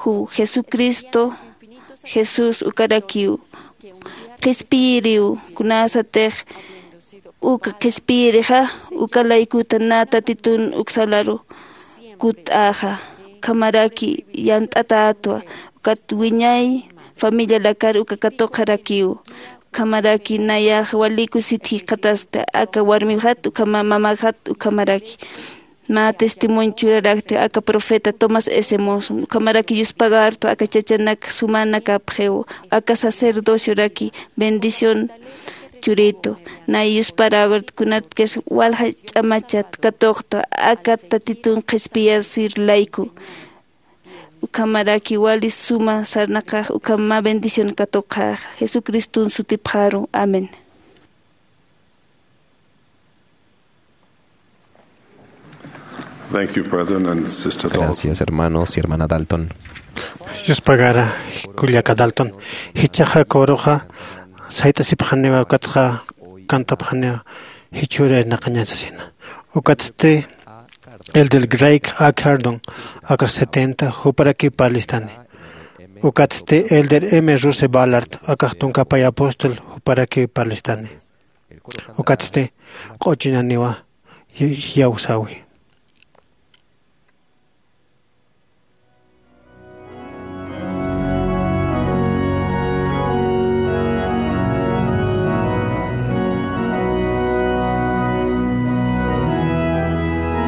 ju Jesucristo, Jesús ukarakiw. Qhispiyiriw, kunasatix uka qhispiyirixa, uka laykuta na Tatitun uksalaru kutt'axa, ukhamaraki yant'atätwa, ukat wiñay familialakar uka katuqarakiw, ukhamaraki nayax wali kusit jikxatasta, aka warmixat, ukhama mamaxat, ukhamaraki. Mä testimonio churarakti aka profeta Thomas S. Monson, ukhamaraki yuspagartu aka chachanak sumanakapxiw, aka sacerdocioraki bendición churitu, nay yuspagartu kunatkas walja ch'amachat katuqta, aka Tatitun qhispiyasir layku. Ukhamaraki wali suma sarnaqax, ukham mä bendición katuqax, Jesucristun sutipxaru. Amén. Thank you, brethren and Sister Dalton. Gracias, hermanos y hermana Dalton. Yuspagara, kullaka Dalton. Jichhaxa coruxa sayt'asipxaniwa, ukatxa cantapxaniwa, jichhüru irnaqañan sasina. Ukatsti Elder Greg A. Cardon, akax setenta, juparakiw parlistani. Ukatsti Elder M. Russell Ballard, akax tunka pay apóstol, juparakiw parlistani. Ukatsti q'uchuñaniwa iyawsäwi.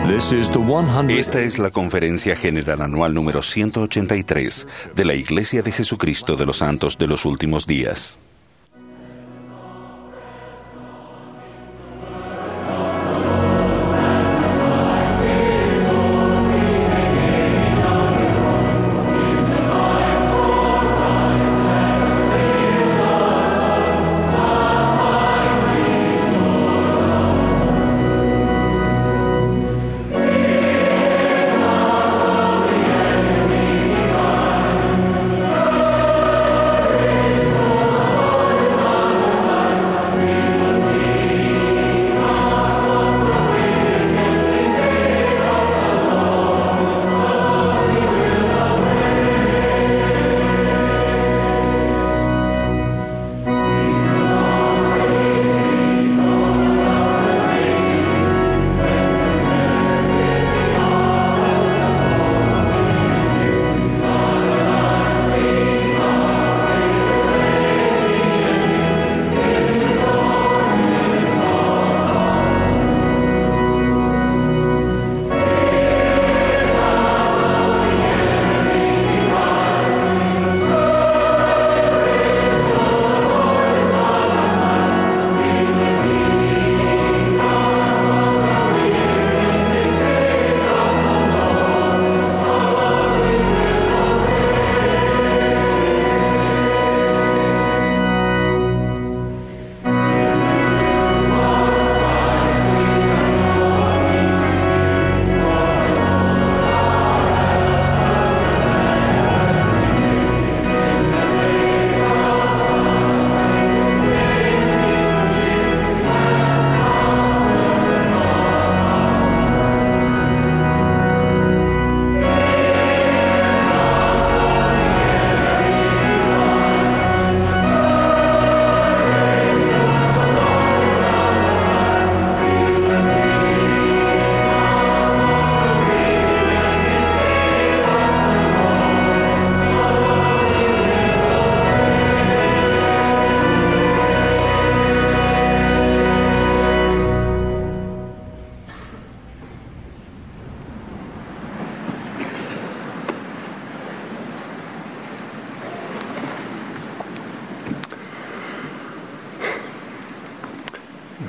This is the one hundred. Esta es la Conferencia General Anual número ciento ochenta y tres de la Iglesia de Jesucristo de los Santos de los Últimos Días.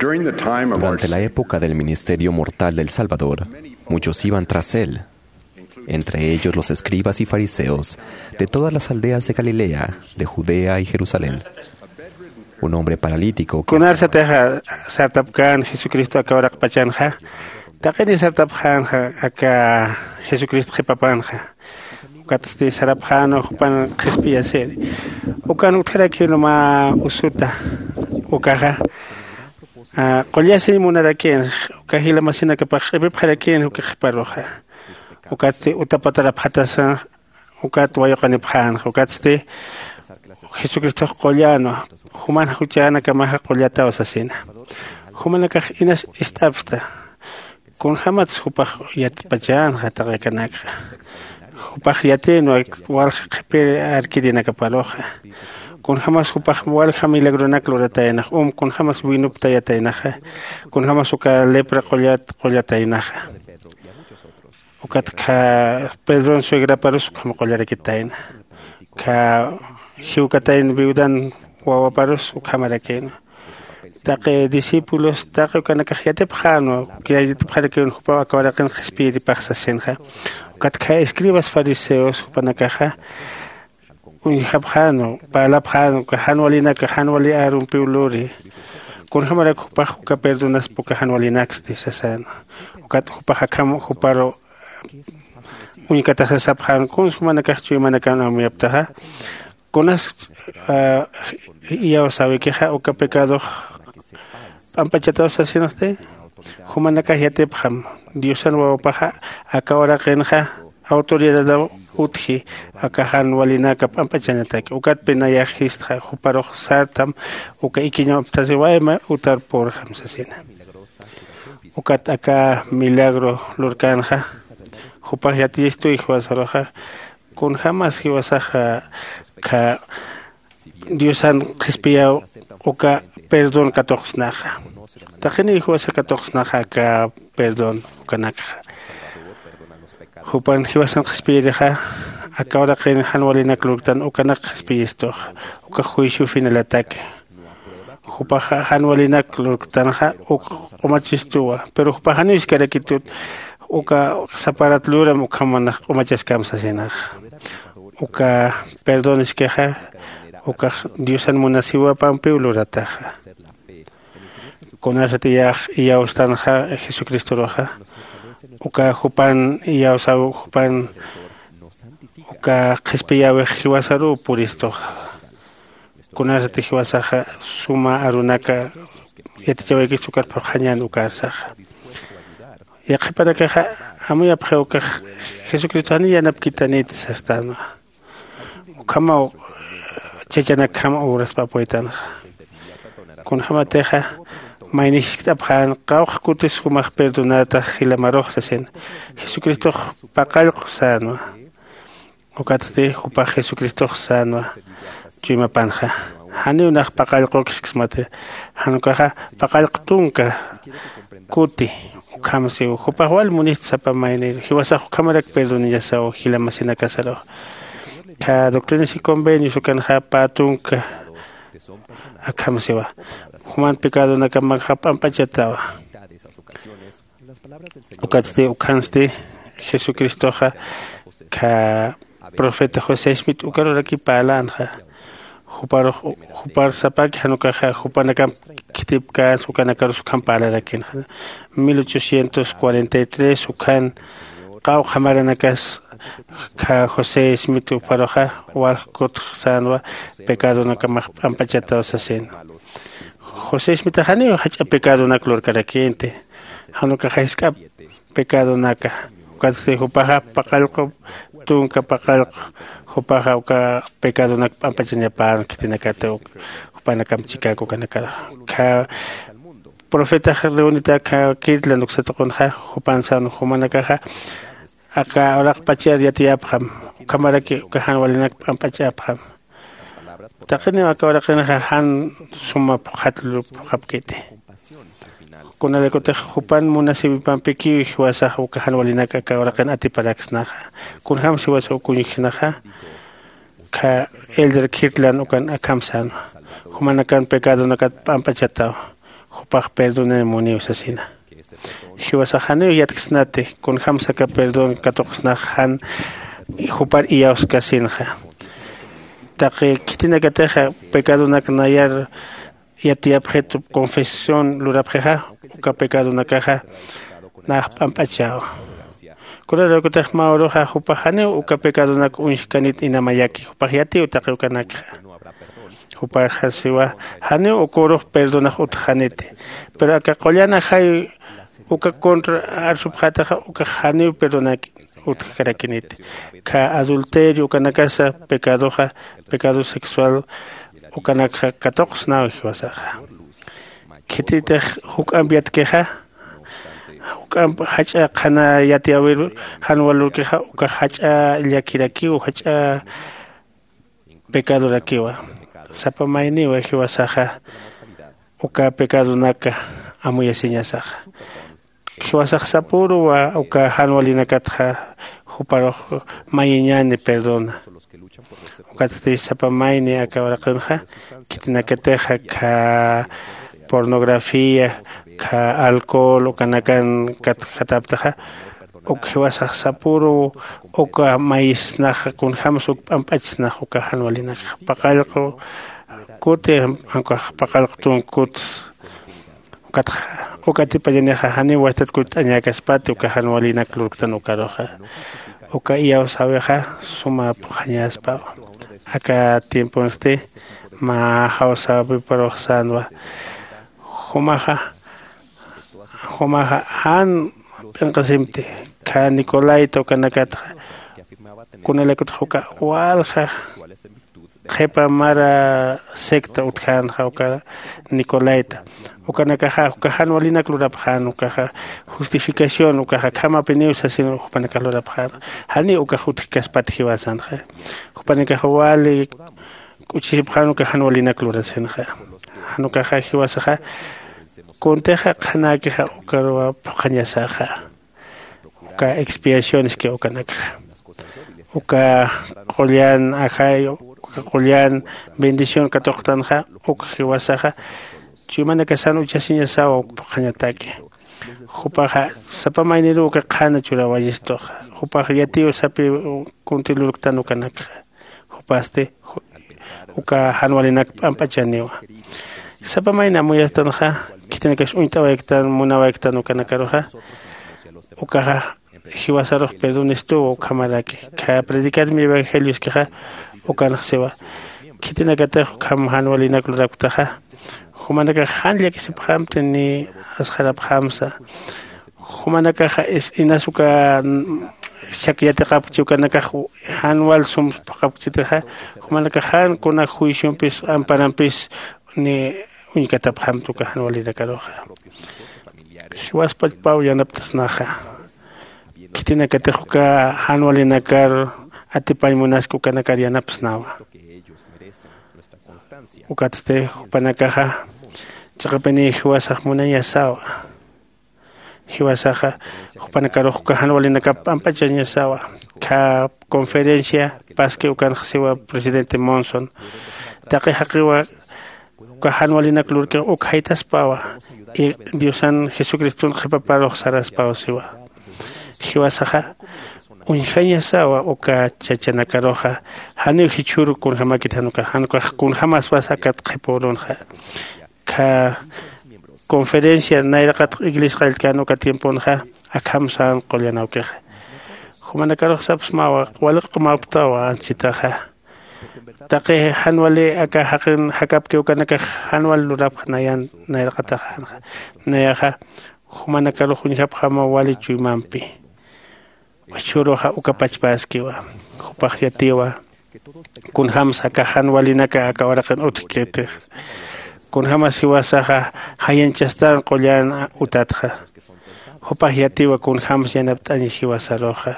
Durante la época del ministerio mortal del Salvador, muchos iban tras él, entre ellos los escribas y fariseos de todas las aldeas de Galilea, de Judea y Jerusalén. Un hombre paralítico que... Kunarsatixa sartapkän Jesucristo aka uraqpachanxa, taqini sartapxänxa aka Jesucristo qhipapanxa. Ukatsti sarapxäna jupan qhispiyasiri. Ukan utjarakïna mä usuta. Ukaxa, ah, qullasiñ munarakïn, uka jila masinakapax q'ipipxarakïn uka qhiparuxa. Ukatsti utapatarapxatasa, ukat wayuqanipxänxa. Ukatsti Jesucristox qullanwa, juman juchänakamaxa qullataw sasina. Jumanakax inas ist'apxta. Kunjämatsa jupax yatpachänxa taqi akanakxa. Jupax yatïnwa walja qhipir arkirinakaparuxa. Kunjämas jupax walja milagronak lurataynax, um, kunjämas winuptayataynaxa. Kunjämas uka lepra qullat qullataynaxa. Ukat kha Pedron suegraparus ukham qullarakitayna. Kha jiwkatayna viudan wawaparus ukhamarakïna. Taqi discípulos, taqi ukanakax yatipxänwa, yatipxarakïn jupaw aka uraqin qhispiyiripax sasinxa. Ukat kha escribas fariseos jupanakaxa uñjapxänwa, parlapxänwa, uka jan walinaka, jan wali arumpiw luri. Kunjämarak jupax uka perdonaspa uka jan walinaksti sasänwa. Ukat jupax akham juparu uñkataxa sapxän, kunsa jumanakax chuymanakan amuyaptaxa. Kunas, ah, iyawsäwikixa uka pecadox p'amp'achataw sasinxti. Jumanakax yatipxam, Diosan wawapaxa aka uraqinxa autoridadaw utji, aka jan walinaka p'amp'achañataki. Ukatpi nayax jistxa, juparux sartam, uka ikiñaw aptasiwayma utar purxam sasina. Ukat aka milagro lurkänxa, jupax yatiyistuy jiwasaruxa, kunjämas jiwasaxa kha Diosan qhispiyaw uka perdón katuqsnaxa. Taqiniw jiwasa katuqsnaxa aka perdón ukanakxa. Jupan jiwasan qhispiyirixa, aka uraqin jan walinak lurktan ukanak qhispiyistux, uka juicio finalataki. Jupaxa jan walinak lurktanxa uk q'umachistuwa, pero jupax janiw iskarakitut, uka saparat luram ukham manax q'umachaskäm sasinaxa. Uka perdón iskixa, ukax Diosan munasiwapampiw lurataxa. Kunasat iyax iyawstanxa Jesucristoruxa, uka jupan iyawsaw, jupan uka qhispiyäwix jiwasaruw puristuxa. Kunasat jiwasaxa suma arunaka yatichawaykista ukat phuqhañän ukarsaxa. Yaqhipanakaxa amuyapxiw ukax Jesucristo janiw yanapkitaniti sastänwa. Ukhamaw chachanakjam uraspa apuytanxa. Kunjämatixa mayni jiskt'apxän, qawqha kutis jumax perdonatax jilamarux sasin. Jesucristox paqallqu sänwa. Ukatsti jupax Jesucristox sänwa. Chuymapanxa, janiw nax paqallqukisksmati. Jan ukaxa paqallqu tunka kuti. Ukham siw, jupax wal munist sapa mayni, jiwasax ukhamarak perdoniñasaw jila masinakasaru. Kha Doctrinas y Convenios ukanxa pä tunka akham siwa. Juman pecadonakamakxa p'amp'achatawa. Ukatsti, ukhansti Jesucristoxa kha profeta José Smith ukaruraki parlänxa. Juparux, jupar sapaki jan ukaxa jupanakamp khitipkänsa, ukanakarus ukham parlarakinxa. Mil ochocientos cuarenta y tres ukhan qawqha maranakas kha José Smith juparuxa walj kutx sänwa, pecadonakamax p'amp'achataw sasin. José Smith janiw jach'a pecadonak lurkarakïnti. Jan ukaxa jisk'ap pecadonaka. Ukatsti jupaxa paqallqu, tunka paqallqu, jupaxa uka pecadonak p'ampachañapän khitinakata, uk jupanakam chikäk ukanakar. Kha profetax reunitak kha Kirtland uksa tuqunxa, jupan sän, jumanakaxa aka uraqpachar yatiyapxam, ukhamaraki uka jan walinak p'amp'achapxam. Taqiniw aka uraqinxa jan suma phuqhat lupxapkiti. Kunalaykutix jupan munasiwipampikiw jiwasax uka jan walinak aka uraqin atiparaksnaxa. Kunjämsa jiwasa uk uñjknaxa, kha Elder Kirtland ukan akham sänwa. Jumanakan pecadonakat p'amp'achataw. jupax perdonan muniw sasina. Jiwasax janiw yatksnati kunjämsa aka perdón katuqsnax jan jupar iyawskasinxa. Taqi khitinakatixa pecadonak nayar yatiyapxitu confesión lurapxixa, uka pecadonakaxa nax p'amp'achawa. Kunalaykutix mä uruxa jupax janiw uka pecadonak uñjkanit inamayaki jupax yatiw taqi ukanakxa. Jupaxa siwa janiw uka urux perdonax utjxaniti. Pero aka qullan ajay uka contra arsupxätaxa ukax janiw perdonak utjkarakiniti. Kha adulterio ukanakasa pecadoxa, pecado sexual ukanakxa katuqsnaw jiwasaxa. Khititix juk'amp yatkixa juk'amp jach'a qhana yatiyäwir jan walurkixa ukax jach'a llakirakiw jach'a pecadorakiwa. Sapa mayniwa jiwasaxa uka pecadonaka amuyasiñasaxa. Jiwasax sapüruwa uka jan walinakatxa juparux mayiñäni perdona. Ukatsti sapa mayni aka uraqinxa khitinakatixa kha pornografía kha alcohol ukanakan katjataptaxa, uk jiwasax sapüruw uka mayisnaxa kunjämsa uk p'amp'achsnax uka jan walinakxa paqallqu kuti, ukax paqallqu tunka kuts. Ukatxa uk atipañanixa janiw wasitat kutt'añäkaspati uka jan walinak lurktan ukaruxa. Uka iyawsäwixa suma phuqhañäspawa. Aka tiemponsti mä jawsäwiparux sänwa. Jumaxa jumaxa jan p'inqasimti. Kha nicolaita ukanakatxa kunalaykutix uka walja qhipa mara secta utjänxa uka nicolaita. Ukanakaxa uka jan walinak lurapxän ukaxa justificación ukaxa akhamapiniw sasin jupanakax lurapxänxa. Janiw ukax utjkaspat jiwasanxa. Jupanakax wali k'uchisipxän uka jan walinak lurasinxa. Jan ukaxa jiwasaxa kuntixa qhanäkixa ukaruwa phuqhañasaxa. Uka expiacioneski ukanakxa uka qullan ajay uka qullan bendición katuqtanxa uk jiwasaxa chuymanakasan uchasiñasawa uk phuqhañataki. Jupaxa sapa mayniruw uka qhana churawayistuxa. Jupax yatiw sapi kunti lurktan ukanakxa. Jupasti uka jan walinak p'amp'achaniwa. Sapa mayni amuyastanxa khitinakax uñt'awayktan munawayktan ukanakaruxa ukaxa jiwasarux perdonistuwa ukhamaraki. Kha predicar mi evangelioskixa ukanxsiwa khitinakatix ukham jan walinak luraktaxa jumanakax jan llakisipxamti ni asxarapxamsa. Jumanakaxa inas uka shak yatiqapkchi ukanakax jan wal sum phuqapkchitixa jumanakax jan kuna juiciompis amparampis ni uñkatapxamti uka jan walinakaruxa. Jiwaspachpaw yanaptasnaxa khitinakatix uka jan walinakar atipañ munaski ukanakar yanapsnawa. Ukatsti jupanakaxa chiqapiniy jiwasax munañasawa. Jiwasaxa jupanakarux uka jan walinakap p'amp'achañasawa. Kha conferencia paski ukanxsiwa presidente monson taqi jaqiwa uka jan walinak lurkixa uk jaytaspawa. Y diosan jesucriston qhipaparux saraspaw siwa. Jiwasaxa uñjañasawa uka chachanakaruxa janiw jichhüru kunjämakit jan ukax jan ukax kunjämaspas akat qhipürunxa. Kha conferencia nayraqatx iglesia qalltkän uka tiemponxa akham sän qullan awkixa. Jumanakarux sapsmawa waliq'umaptawa ansitaxa. Taqi jan wali aka jaqin jakapki ukanakax jan wal lurapx nayan nayraqataxänxa. Nayaxa jumanakarux uñjapxamaw wali chuymampi. Jichhüruxa uka pachpäskiwa. Jupax yatiwa kunjämsa aka jan walinaka aka uraqin utjkitix. Kunjämas jiwasaxa jayanchastan qullan utatxa. Jupax yatiwa kunjämsa yanapt'añ jiwasaruxa.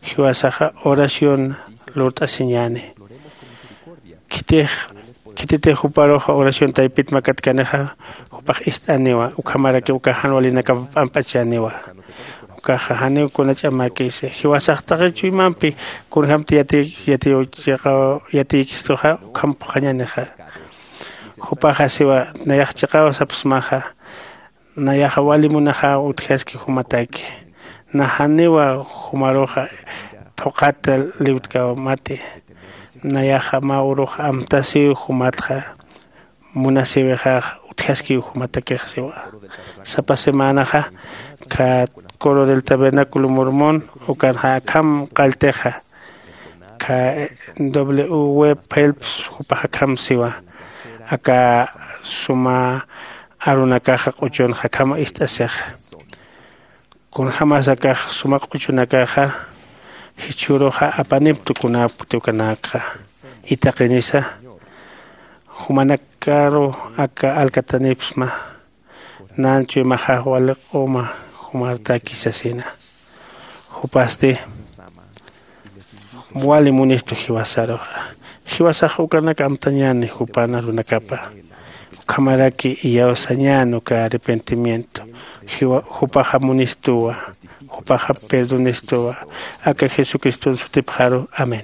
Jiwasaxa oración lurt'asiñäni. Khitix khititix juparuxa oración taypit makatkanixa jupax ist'aniwa ukhamarakiw uka jan walinakap p'amp'achaniwa. Ukaxa janiw kuna ch'amäkisi jiwasax taqi chuymampi kunjämti yatiy yatiy chiqaw yatiykistuxa ukham phuqhañanixa. Jupaxa siwa nayax chiqaw sapsmaxa. Nayaxa wali munaxa utjaski jumataki. Najaniwa jumaruxa phuqhata liwtkawamati. Nayaxa mä urux amtasiw jumatxa munasiwixax utjaskiw jumatakix siwa. Sapa semanaxa kha coro del tabernáculo mormón ukanxa akham qalltixa. Kha w web phelps jupax akham siwa. Aka suma arunakaxa q'uchunxa akham ist'asixa. Kunjämas akax suma q'uchunakaxa jichhüruxa apaniptu kunapkti ukanakxa. Itaqinisa jumanakaru aka alkatanipsma. Nan chuymaxax wali q'uma jumartaki sasina. Jupasti wali munistu jiwasaruxa. Jiwasax ukanak amtañäni jupan arunakapa. Ukhamaraki iyawsañän uka arrepentimiento. Jupaxa munistuwa. Jupaxa perdonistuwa. Aka jesucriston sutipxaru. Amén.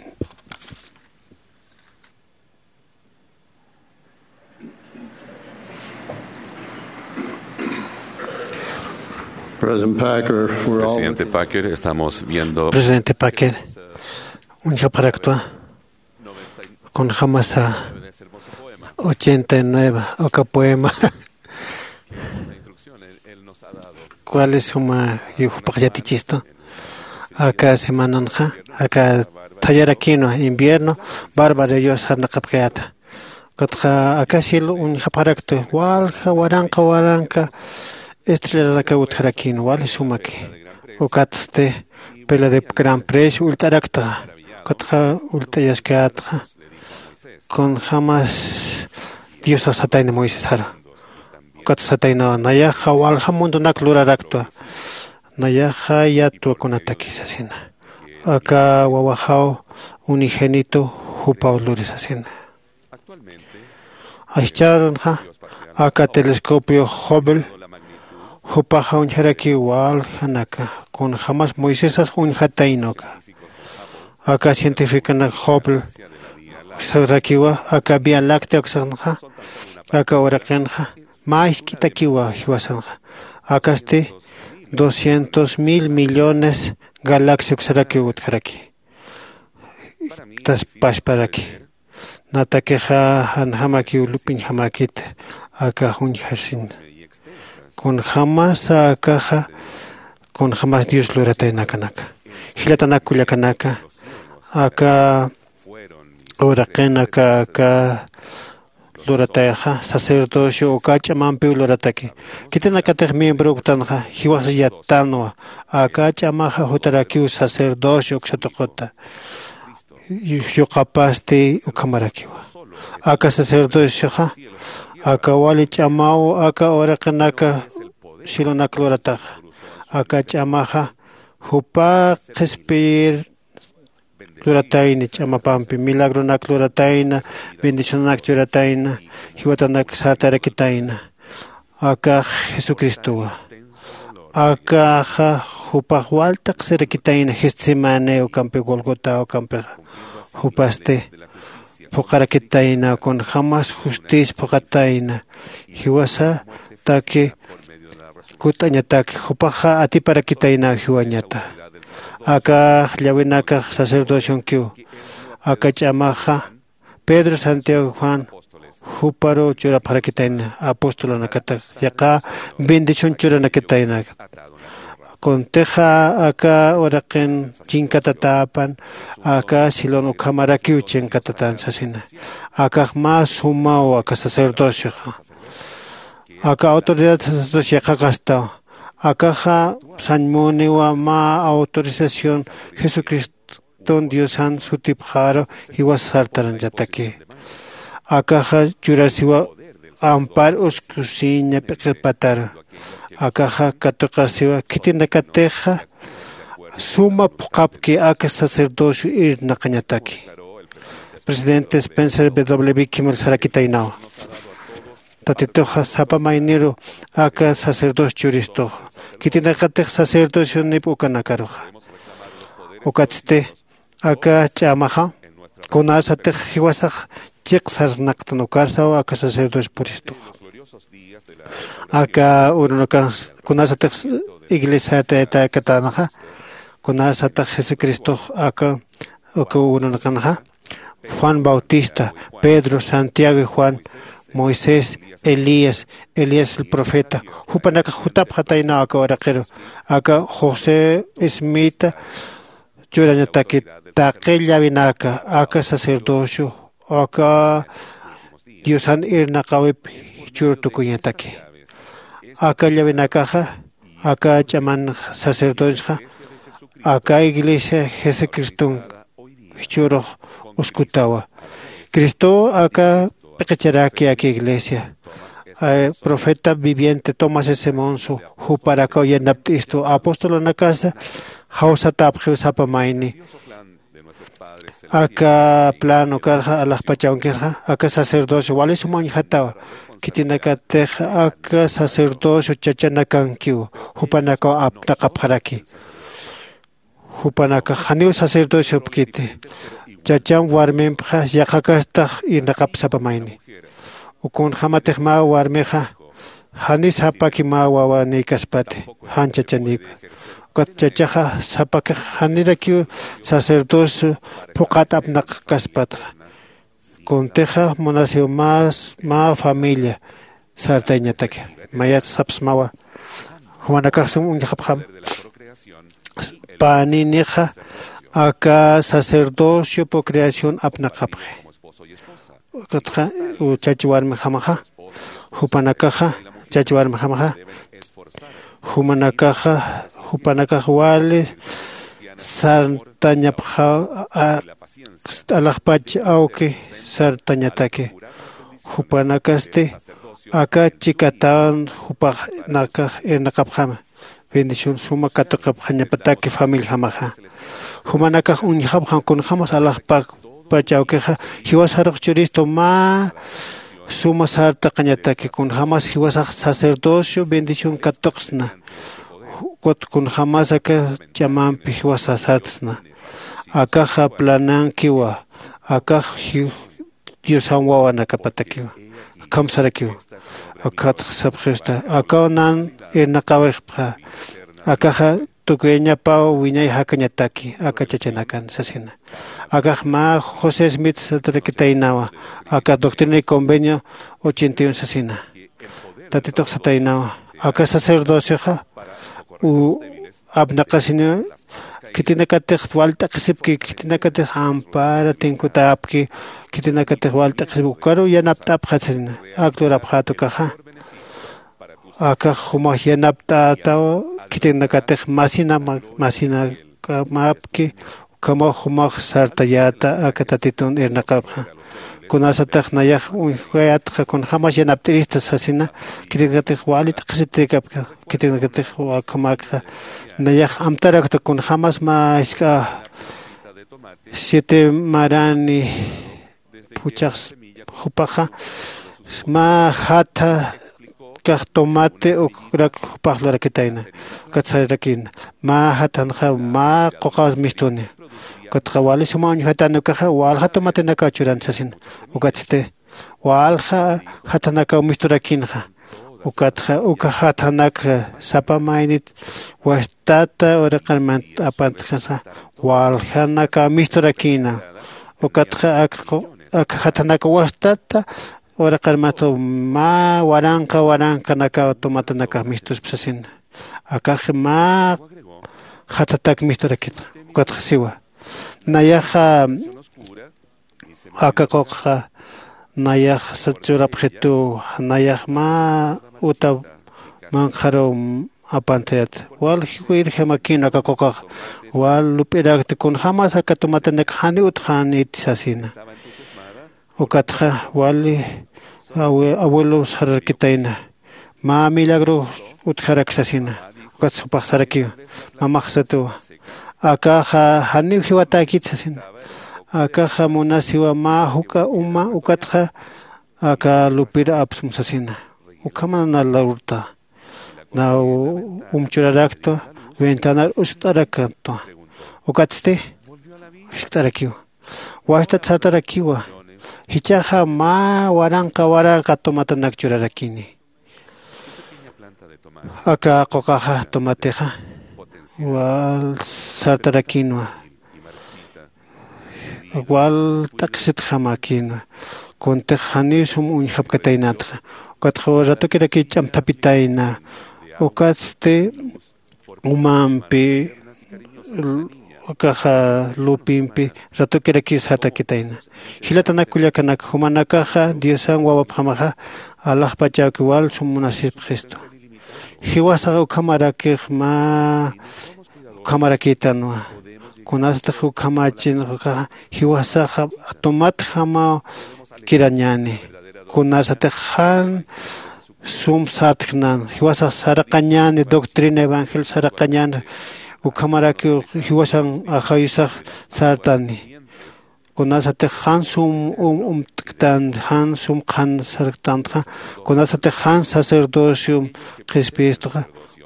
President Packer, we're all presidente Packer, estamos viendo presidente Packer, uñjapxaraktwa kunjämasa ochenta y nueve aka poema. Cuales suma jupax yatichistu aka semananxa aka thayarakïnwa invierno bárbaro yus sarnaqapkayäta. Ukatxa aka cielo uñjapxaraktu walja waranqa waranqa estrellarakaw utjarakïnwa wali sumaki. Ukatsti pela de gran precio ullt'arakta. Ukatxa ullt'ayaskätxa kunjämas diosax satayna moisesar. Ukat sataynawa nayaxa walja mundunak luraraktwa. Nayaxa yatwa kunataki sasina. Aka wawaxaw unigénito jupaw luri sasina. Ascharunxa aka telescopio hubble jupaxa uñjarakiw waljanaka kunjämas moisesas uñjatayna uka. Aka cientificonak hubble uksarakiwa aka vía láctea uksanxa aka uraqinxa mä isk'itakiwa jiwasanxa. Akasti doscientos mil millones galaxia uksarakiw utjaraki. Taspasparaki natakixa janjamakiw lup'iñjamäkita. Aka juñjasin kunjämasa akaxa kunjämas dios lurataynakanaka jilatanak kullakanaka aka uraqinaka aka luratayxa sacerdocio uka ch'amampiw lurataki. Khitinakatix miembro uktanxa jiwasa yattanwa aka ch'amaxa jutarakiw sacerdocio uksatuquta. Yuqapasti ukhamarakiwa aka sacerdocioxa aka wali ch'amaw aka uraqinaka cielonak lurataxa aka ch'amaxa jupa qhispiyir luratayna ch'amapampi milagronak luratayna bendicionanak churatayna jiwatanak sartarakitayna. Akax jesucristowa akaxa jupax walt'aqsirakitayna getsemaní ukampi golgota ukampixa jupasti phuqarakitayna kunjämas justicia phuqatayna jiwasataki kut'añataki jupaxa atiparakitayna jiwañata. Akax llawinakax sacerdocionkiw aka ch'amaxa pedro santiago juan juparuw churapxarakitayna apostolunakatax yaqha bendición churanakitayna. Kuntixa aka uraqin chinkatatäpan aka silon ukhamarakiw chinkatatan sasina. Akax mä sumaw aka sacerdocioxa aka autoridad sacerdocio yaqhakastaw. Akaxa sañmuniwa mä autorización jesucriston diosan sutipxaru jiwasa sartarañataki. Akaxa churasiwa ampar uskusiña p'iqipataru. Akaxa katuqasiwa khitinakatixa suma phuqhapki aka sacerdocio irnaqañataki. Presidente spencer w kimmel sarakitaynawa tatituxa sapa mayniru aka sacerdocio churistuxa khitinakatix sacerdocionip ukanakaruxa. Ukatsti aka ch'amaxa kunasatix jiwasax chiq sarnaqtan ukarsaw aka sacerdocio puristuxa. Aka urunakan kunasatix iglesiata tayakatanxa, kunasatix jesucristox aka uka urunakanxa, juan bautista, pedro, santiago y juan, moisés, elías, elías el profeta, jupanakax jutapxataynaw aka uraqiru. Aka josé smita churañataki, taqi llawinaka aka sacerdocio aka diosan irnaqawip jichhür tukuñataki. Aka llawinakaxa aka ch'aman sacerdocio aka iglesia jesucriston jichhürux uskutawa. Cristow aka p'iqicharaki aka iglesia profeta viviente tomás s monso juparakaw yanapt'istu apostolanakasa jawsatäpxiw sapa mayni. Aka plano karxa alaxpachawankirxa aka sacerdocio wali suma uñjatawa. Khitinakatix aka sacerdocio chachanakankiw jupanakaw apnaqapxaraki. Jupanakax janiw sacerdociopkiti chacham warmimpxa yaqhakastax irnaqapsapa mayni. Ukunxamatix mä warmixa jani sapaki mä wawanïkaspati jan chachanïka. Ukat chachaxa sapakix janirakiw sacerdocio phuqhat apnaqkaspatxa. Kuntixa munasiw mä familia sartayañataki. Mayat sapsmawa jumanakax sum uñjapxam paninixa aka sacerdocio procreación apnaqapxi. Ukatxa chach warmixamaxa jupanakaxa chach warmixamaxa jumanakaxa jupanakax wali sartañapxaw alaxpach awki sartañataki. Jupanakasti aka chikatawan jupanakax irnaqapxama bendición suma katuqapxañapataki familijamaxa. Jumanakax uñjapxam kunjämas alaxpach awkixa jiwasarux churistu mä suma sartaqañataki kunjämas jiwasax sacerdocio bendición katuqsna. Ukat kunjämas aka ch'amampi jiwasa sartsna. Akaxa planankiwa akax diosan wawanakapatakiwa. Akham sarakiwa akatx sapxista akaw nan irnaqawixpxa. Akaxa tukuyañapaw wiñay jakañataki aka chachanakan sasina. Akax mä josé smith satarakitaynawa aka doctrina y convenio ochenta y uno sasina. Tatitux sataynawa aka sacerdocioxa apnaqasiniw khitinakatix wal t'aqhisipki khitinakatix ampara tinkutäpki khitinakatix wal t'aqhisipki ukaruw yanapt'apxat sasina. Ak lurapxät ukaxa akax jumax yanapt'ätaw khitinakatix masina masinakamapki ukhamaw jumax sartayäta aka tatitun irnaqapxa. Kunasatix nayax uñjayätxa kunjämas yanapt'irista sasina khitinakatix wali t'aqhisitirikapki khitinakatix ukhamäkxa nayax amtarakta kunjämas mä jisk'a siete marani phuchhax jupaxa mä jatha kax tomate ukrak jupax lurakitayna. Ukat sararakïna mä jathanxa mä quqaw mistuni. Ukatxa wali suma uñjatani ukaxa walja tomatenakaw churan sasina. Ukatsti walja jathanakaw misturakïnxa. Ukatxa uka jathanak sapa maynit wastata uraqarmant apantxasa waljanakaw misturakïna. Ukatxa ak jathanak wastata uraqarmantw mä waranqa waranqanakaw tomatanakax mistuspa sasina. Akax mä jathatak misturakïnxa. Ukatxa siwa nayaxa aka quqxa nayax sat churapxituw nayax mä uta manqharuw apantayät. Wal jiwirjamakïn aka quqax wal lup'irakti kunjämas aka tumatanak janiw utxäniti sasina. Ukatxa wali abuelow sararkitayna mä milagro utjarak sasina. Ukat jupax sarakiw mamax satuwa akaxa janiw jiwatäkit sasina. Akaxa munasiwa mä juk'a uma ukatxa aka lupir apsum sasina. Ukhaman na lurta na um churaraktwa ventanar uskt'arakatwa. Ukatsti jiskt'arakiwa wastat sartarakiwa. Jichhaxa mä waranqa waranqa tomatanak churarakini. Aka quqaxa tomatixa wal sartarakinwa, wal t'aqsitxamakïnwa. Kuntix janiw sum uñjapkataynatxa, ukatxa ratokiraki ch'amthapitayna. Ukatsti umampi ukaxa lupimpi ratokirakiw sartakitayna. Jilatanak kullakanak, jumanakaxa diosan wawapxamaxa alaxpachawki wal sum munasipxistu. Jiwasaxa ukhamarakix mä ukhamarakïtanwa. Kunasatix ukhamachinxa jiwasaxa tumatjamaw kirañäni. Kunasatix jan sum sartjnan jiwasax saraqañäni doctrina evangelio saraqañäni. Ukhamarakiw jiwasan ajayusax sartani. Kunasatix jan sum umt'ktan jan sum qhan sarktantxa, kunasatix jan sacerdociom qhispiyistxa,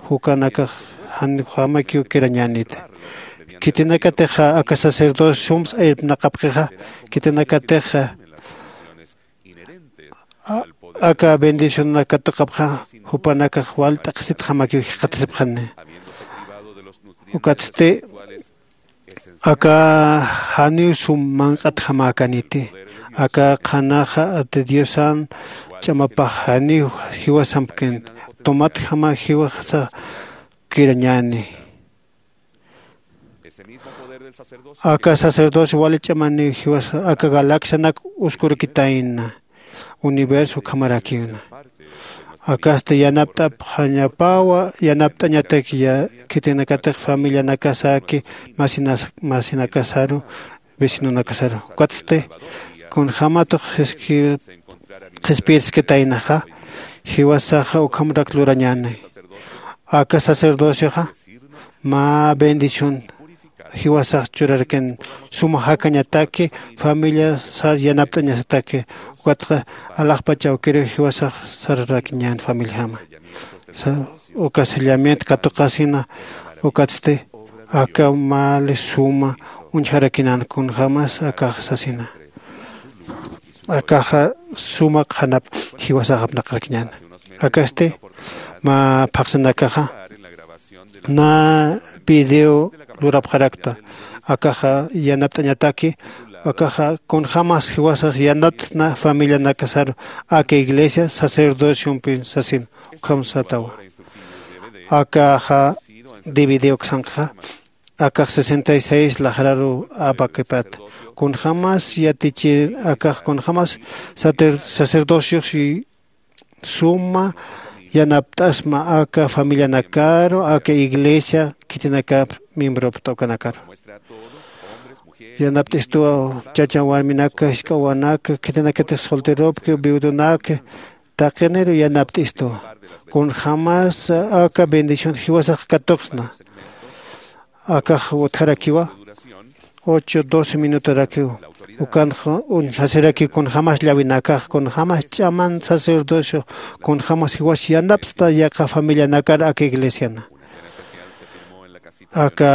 jukanakax janjamakiw kirañäniti. Khitinakatixa aka sacerdocio sumsa irpnaqapxixa, khitinakatixa aka bendicionanak katuqapxa, jupanakax wal t'aqsitjamakiw jikxatasipxani. Ukatsti aka janiw sum manq'atjamäkaniti. Aka qhanaxa ati diosan ch'amapax janiw jiwasampkint, tumatjama jiwasa kirañäni. Aka sacerdocio wali ch'amaniw jiwasa aka galaxianak uskurakitayna. Universo ukhamarakiwna. Akasti yanapt'apxañapawa yanapt'añatak khitinakatix familianakasaki masinakasaru vecinonakasaru. Ukatsti kunjämatux qhispiyirskitaynaxa jiwasaxa ukhamarak lurañäni. Aka sacerdocioxa mä bendición jiwasax churarakin suma jakañataki familiasar yanapt'añasataki. Ukatxa alaxpach awkiriw jiwasax sararakiñän familiajama. Uka sellamiento katuqasina. Ukatsti aka mali suma uñjarakinan kunjämas akax sasina. Akaxa suma qhanap jiwasax apnaqarakiñäna. Akasti mä phaxsinakaxa nä video lurapxarakta. Akaxa yanapt'añataki akaxa kunjämas jiwasax yanapt'na familianakasaru aka iglesia sacerdociompi sasin. Ukham satawa. Akaxa dividiw uksankaxa akax sesenta y seis laqraru apakipat. Kunjämas yatichir akax kunjämas sacerdociox suma yanapt'asma aka familianakaru aka iglesia khitinakap miembropta ukanakaru. Yanapt'istuwa chachan warminaka jisk'a wawanaka khitinakatix solteropki viudonaka taqiniru yanapt'istuwa. Kunjämas aka bendición jiwasax katuqsna. Akax utjarakiwa ocho doce minutarakiw ukanxa uñjasirakiw kunjämas llawinakax kunjämas ch'aman sacerdocio kunjämas jiwas yanapt'sta yaqha familianakar aka iglesiana. Aka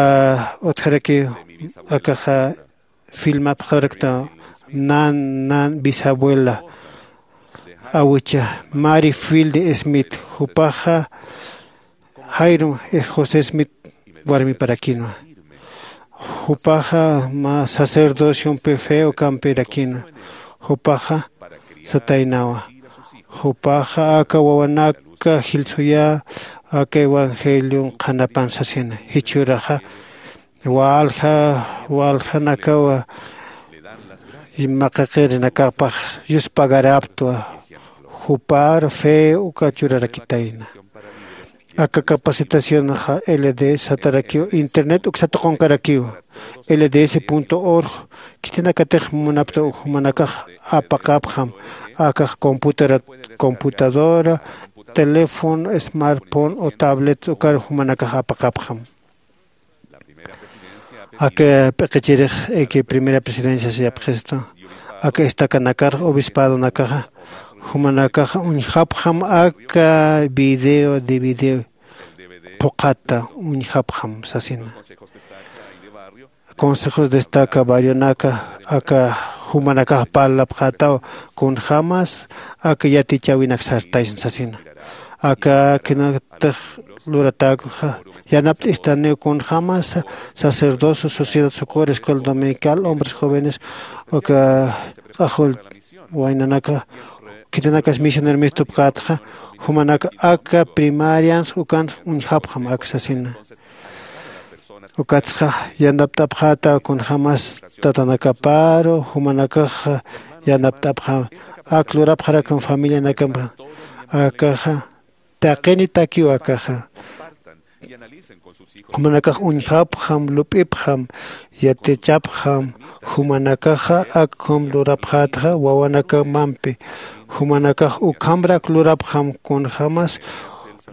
utjarakiw akaxa filmapxarakta nan nan bisabuela awicha mari filde smith jupaxa jairum josé smith warmiparakinwa. Jupaxa mä sacerdociompi feo campirakinwa. Jupaxa sataynawa jupaxa aka wawanaka jilsuyä aka evangelion qhanapan sasina jichhüraxa walja waljanakawa maqaqirinakapax yuspagaraptwa. Jupar fe uka churarakitayna. Aka capacitacionxa lds satarakiw internet uksatuqankarakiw lds org. Khitinakatix munapta jumanakax apaqapxam akax computadora teléfono smartphone o tablet ukar jumanakax apaqapxam. Aka p'iqichirix aka primera presidencia siyapxistu aka estacanakar obispadonakaxa jumanakaxa uñjapxam aka video de video phuqhata uñjapxam sasina. Consejos destaca barrionaka aka jumanakax parlapxätaw kunjämas aka yatichäwinak sartaysna sasina. Aka kinatix luratäkuxa yanapt'istaniw kunjämas sacerdocio, sociedad socorro, escuela dominical, hombres jóvenes, uka q'axull waynanaka, khitinakas misioner mistupkätxa, jumanak aka primarians ukan uñjapxam ak sasina. Ukatxa yanapt'apxätaw kunjämas tatanakaparu, jumanakax yanapt'apxam. Ak lurapxarakam familianakam akaxa taqinitakiw akaxa. Jumanakax uñjapxam, lup'ipxam, yatichapxam. Jumanakaxa akham lurapxätxa wawanakamampi. Jumanakax ukhamrak lurapxam kunjämas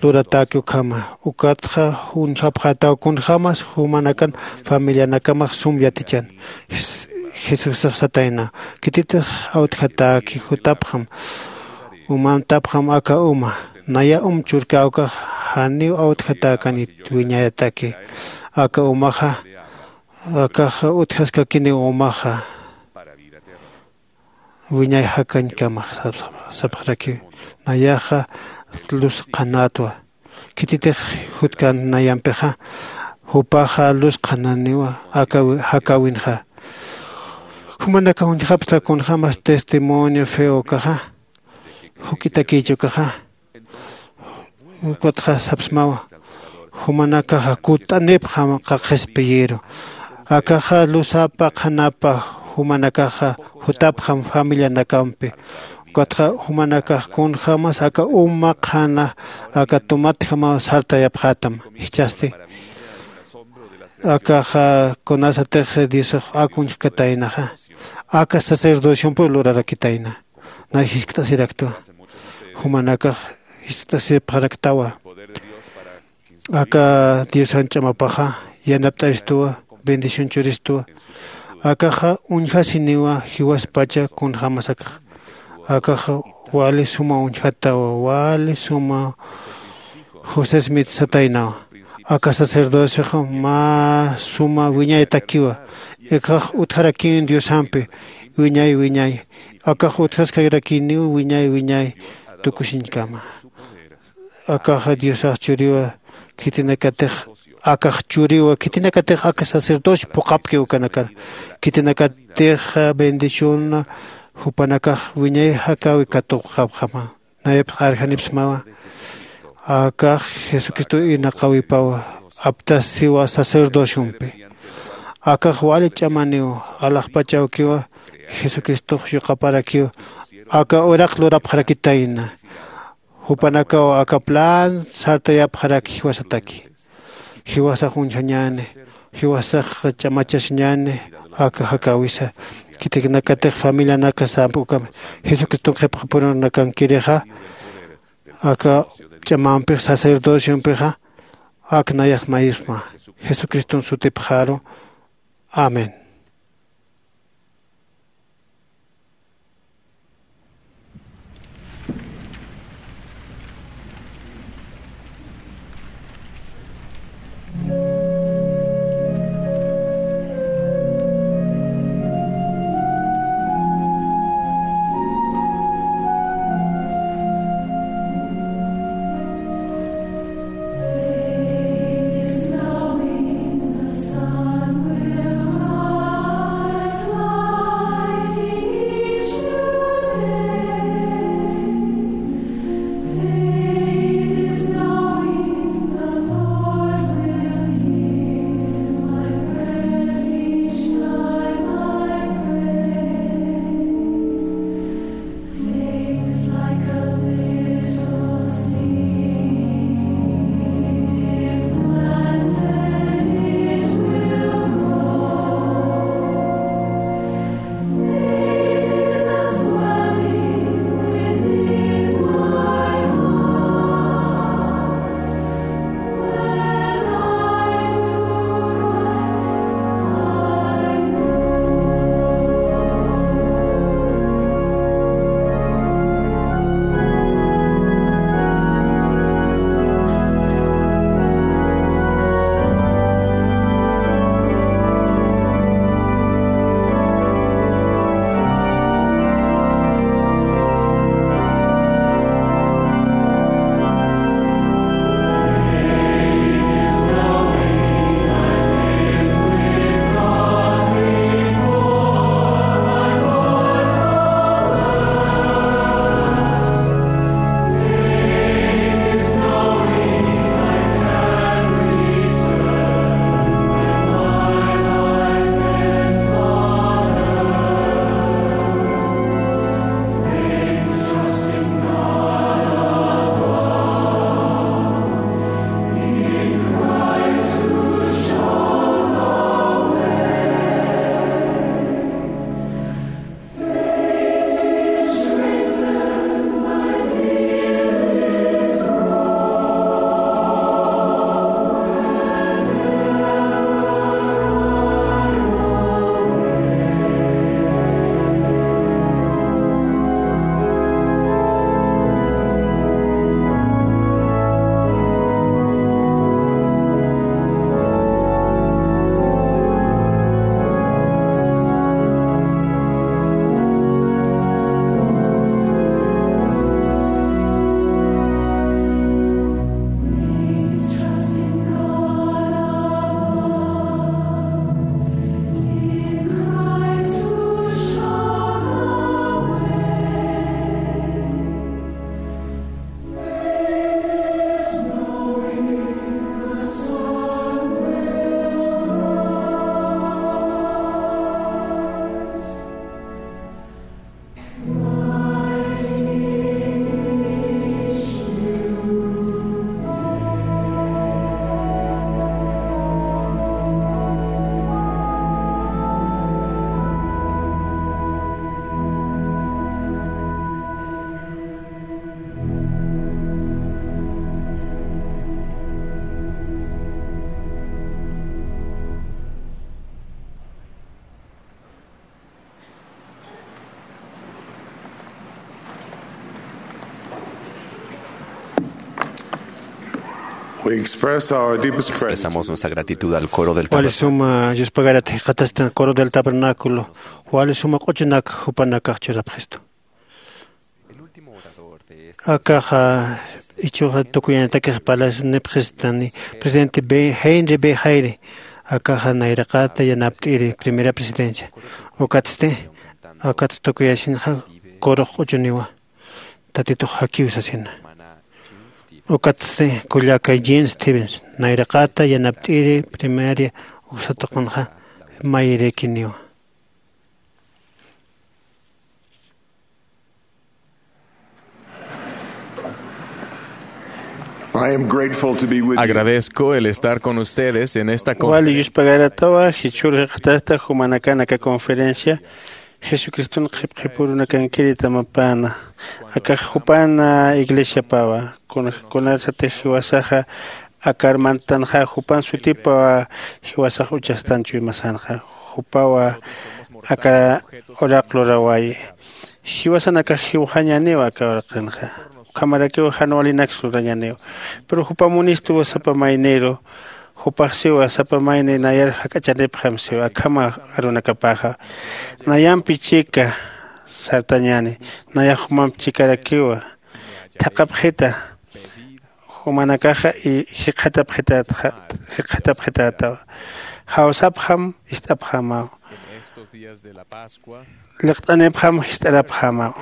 luratäki ukhama. Ukatxa uñjapxätaw kunjämas jumanakan familianakamax sum yatichan. Jes-, Jesusax satayna: Khititix awtjatäki jutapxam, umamtapxam aka uma. Naya um churkäwkax janiw awtjatäkanit wiñayataki. Aka umaxa, akaxa utjaskakiniw umaxa wiñay jakañkama sap-, sapxarakiw. Nayaxa luz qhanätwa. Khititix jutkan nayampixa, jupaxa luz qhananiwa aka wi-, jakäwinxa. Jumanakax uñjapxta kunjämas testimonio feokaxa, juk'itakïchi ukaxa, ukatxa sapsmawa. Jumanakaxa kutt'anipxam qaqispi yiru. Akaxa luzapa qhanapa jumanakaxa jutapxam familianakampi. Ukatxa jumanakax kunjämas aka uma qhana aka tumatjamaw sartayapxätam. Jichhasti akaxa kunasatix Diosax ak uñjkataynaxa, aka sacerdociompiw lurarakitayna. Nay jiskt'asiraktwa. Jumanakax jiskt'asipxaraktawa. Aka Diosan ch'amapaxa yanapt'aristuwa, bendición churistuwa. Akaxa uñjasiniwa jiwaspacha kunjämas akax. Akaxa wali suma uñjatawa, wali suma José Smith sataynawa. Aka sacerdocioxa mä suma wiñaytakiwa. Akax utjarakïn Diosampi wiñay wiñay. Akax utjaskarakïniw wiñay wiñay tukusiñkama. Akaxa Diosax churiwa, khitinakatix akax churiwa, khitinakatix aka sacerdocio phuqhapki ukanakar. Khitinakatix bendición jupanakax wiñay jakäwi katuqapxama. Nayapx arjanipsmawa. Akax Jesucristo irnaqäwipawa, aptasiwa sacerdociompi. Akax wali ch'amaniw, alaxpachawkiwa, Jesucristox yuqaparakiw, aka uraq lurapxarakitayna. Jupanakaw aka plan sartayapxaraki jiwasataki. Jiwasax uñjañäni, jiwasax ch'amachasiñäni aka jakäwisa. Khitinakatix familianaka samp'ukam Jesucriston qhipxapurunakankirixa, aka ch'amampix sacerdociompixa, ak nayax mayisma. Jesucriston sutipxaru. Amén. We express our deepest gratitude. Expresamos nuestra gratitud al coro del tabernáculo. Wali suma yuspagarat jikxatastan coro del tabernáculo. Wali suma q'uchunak jupanakax churapxistu. Akaxa ichuxa tukuyañatakix palas nipxistani presidente B henry B jairi. Akaxa nayraqata yanapt'iri primera presidencia. Ukatsti akat tukuyasinxa corux q'uchuniwa. Tatitux jakiw sasina. Ukatsti kullakay jean stevens nayraqata yanapt'iri primaria uksatuqunxa mayirikiniwa. I am grateful to be with you. Agradezco el estar con ustedes en esta conferencia. Wali yuspagaratawa jichhur jikxatasta jumanakanaka conferencia. Jesucriston qhipqhipurunakankiri tamapana. Akax jupana iglesiapawa. Kunarsatix jiwasaxa akar mantanxa jupan sutipawa. Jiwasax uchastan chuymasanxa jupawa. Aka uraq lurawayi. Jiwasanakax jiwxañaniw aka uraqinxa. Ukhamarakiw jan walinaks lurañaniw. Pero jupamunistuwa sapa mayniru. Jupaxsiwa sapa mayni nayar jak'achanipxam siwa akhama arunakapaxa. Nayampi chika sartañani. Nayax jumamp chikarakiwa. Thaqhapxita jumanakaxa y jikxatapxitätawa. Jawsapxam ist'apxamaw. Liqt'anipxam jist'arapxamaw.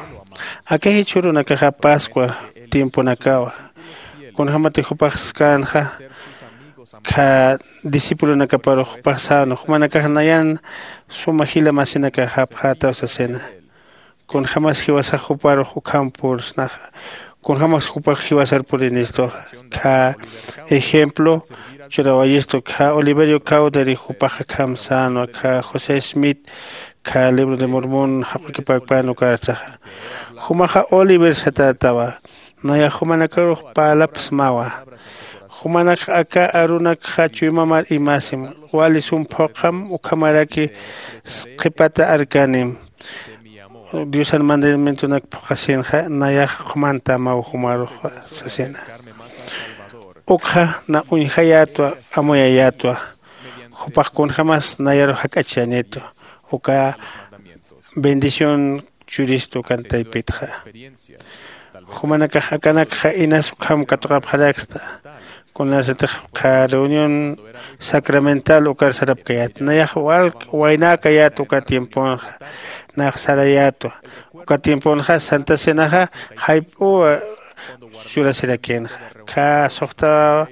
Aka jichhürunakaxa pascua tiemponakawa. Kunjämatix jupax sänxa kha discipulonakaparux jupax sänwa jumanakax nayan suma jila masinakaxapxätaw sasina. Kunjämas jiwasax juparux ukham pursnaxa. Kunjämas jupax jiwasar purinistuxa. Kha ejemplo churawayistu kha oliverio cawderi jupax akham sänwa kha josé smith kha libro de mormon jaqukipakpan ukartaxa. Jumaxa oliver satätawa. Nayax jumanakarux parlapsmawa. Jumanakxa aka arunakxa chuymamar imasim. Wali sum phuqham ukhamaraki qhipata arkanim. Diosan mandamientonak phuqhasinxa nayax qhumantamaw jumarux sasina. Ukxa na uñjayätwa amuyayätwa. Jupax kunjämas nayarux jak'achañitwa. Uka bendición churistu ukan taypitxa. Jumanakax akanakxa inas ukham katuqapxaraksta. Kunasatix qha reunión sacramental ukar sarapkayät nayax walk waynäkayät uka tiemponxa. Nayax sarayätwa uka tiemponxa santa cenaxa jayp'uwa churasirakinxa. Kha suxtawa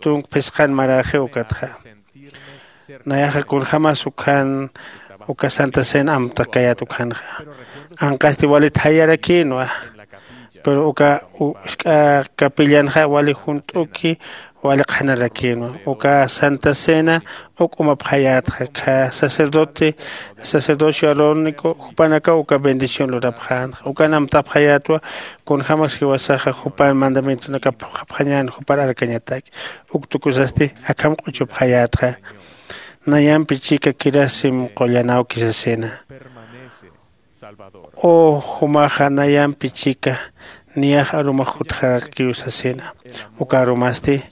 tunk phisqan maräxiw ukatxa. Nayaxa kunjämas ukhan uka santa cena amtakayät ukhanxa. Anqasti walit jayarakïnwa. Pero uka usk'a capillanxa wali junt'uki wali qhanarakinwa uka santa cena. Uk'umapxayätxa kha sacerdote sacerdocio arónico jupanakaw uka bendición lurapxänxa ukan amtapxayätwa. Kunjämas jiwasaxa jupan mandamientonakap phuqhapxañän jupar arkañataki. Uk tukusasti akham q'uchupxayätxa. Nayampi chika kirasim qullan awki sasina. U jumaxa nayampi chika niyax arumax jutxarakiw sasina. Uka arumasti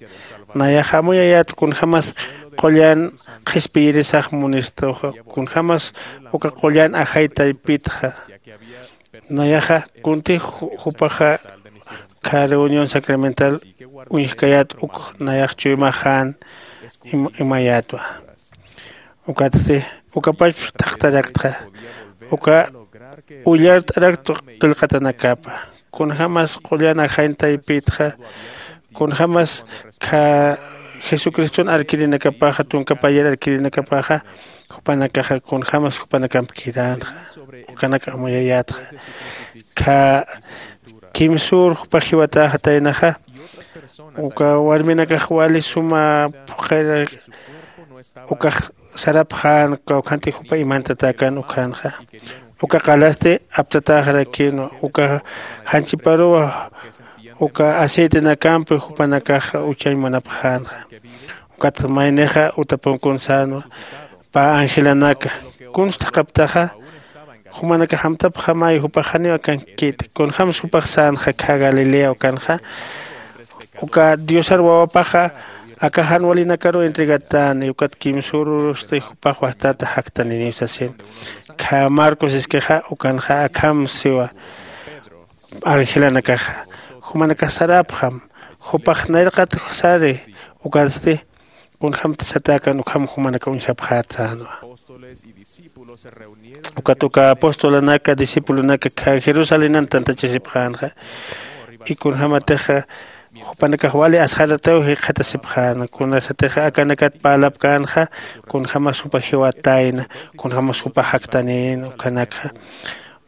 nayax amuyayät kunjämas qullan qhispiyirisax munistuxa kunjämas uka qullan ajay taypitxa. Nayaxa kuntix jupaxa kha reunión sacramental uñjkayät uk nayax chuymaxän imayätwa. Ukatsti ukapachp thaqtaraktxa uka ullart'arakt qillqatanakapa. Kunjämas qullan ajañ taypitxa kunjämas kha jesucriston arkirinakapaxa tunka payar arkirinakapaxa jupanakaxa kunjämas jupanakamp kiränxa. Ukanak amuyayätxa kha kimsür jupax jiwatäxataynaxa. Uka warminakax wali suma phuqhir ukax sarapxän kawkhantix jupa imantatäkän ukhanxa. Uka qalasti aptatäxarakïnwa uka janchiparuwa uka aceitenakampi jupanakax uchañ munapxänxa. Ukat maynixa utapunkun sänwa pä angelanaka kunsa thaqhaptaxa jumanakax amtapxamay jupax janiw akankit kunjämsa jupax sänxa kha galilea ukanxa. Uka diosar wawapaxa aka jan walinakaruw entregatäni ukat kimsürurusti jupax wajtata jaktaniniw sasin. Kha marcos iskixa ukanxa akham siwa. Angelanakaxa jumanakax sarapxam. Jupax nayraqat sari. Ukatsti kunjämti satäkan ukham jumanakax uñjapxätänwa. Ukat uka apostolanaka discipulonaka kha jerusalénan tantachasipxänxa. Y kunjämatixa jupanakax wali asxarataw jikxatasipxäna kunasatixa akanakat parlapkänxa. Kunjämas jupa jiwatayna kunjämas jupa jaktanïna ukanakxa.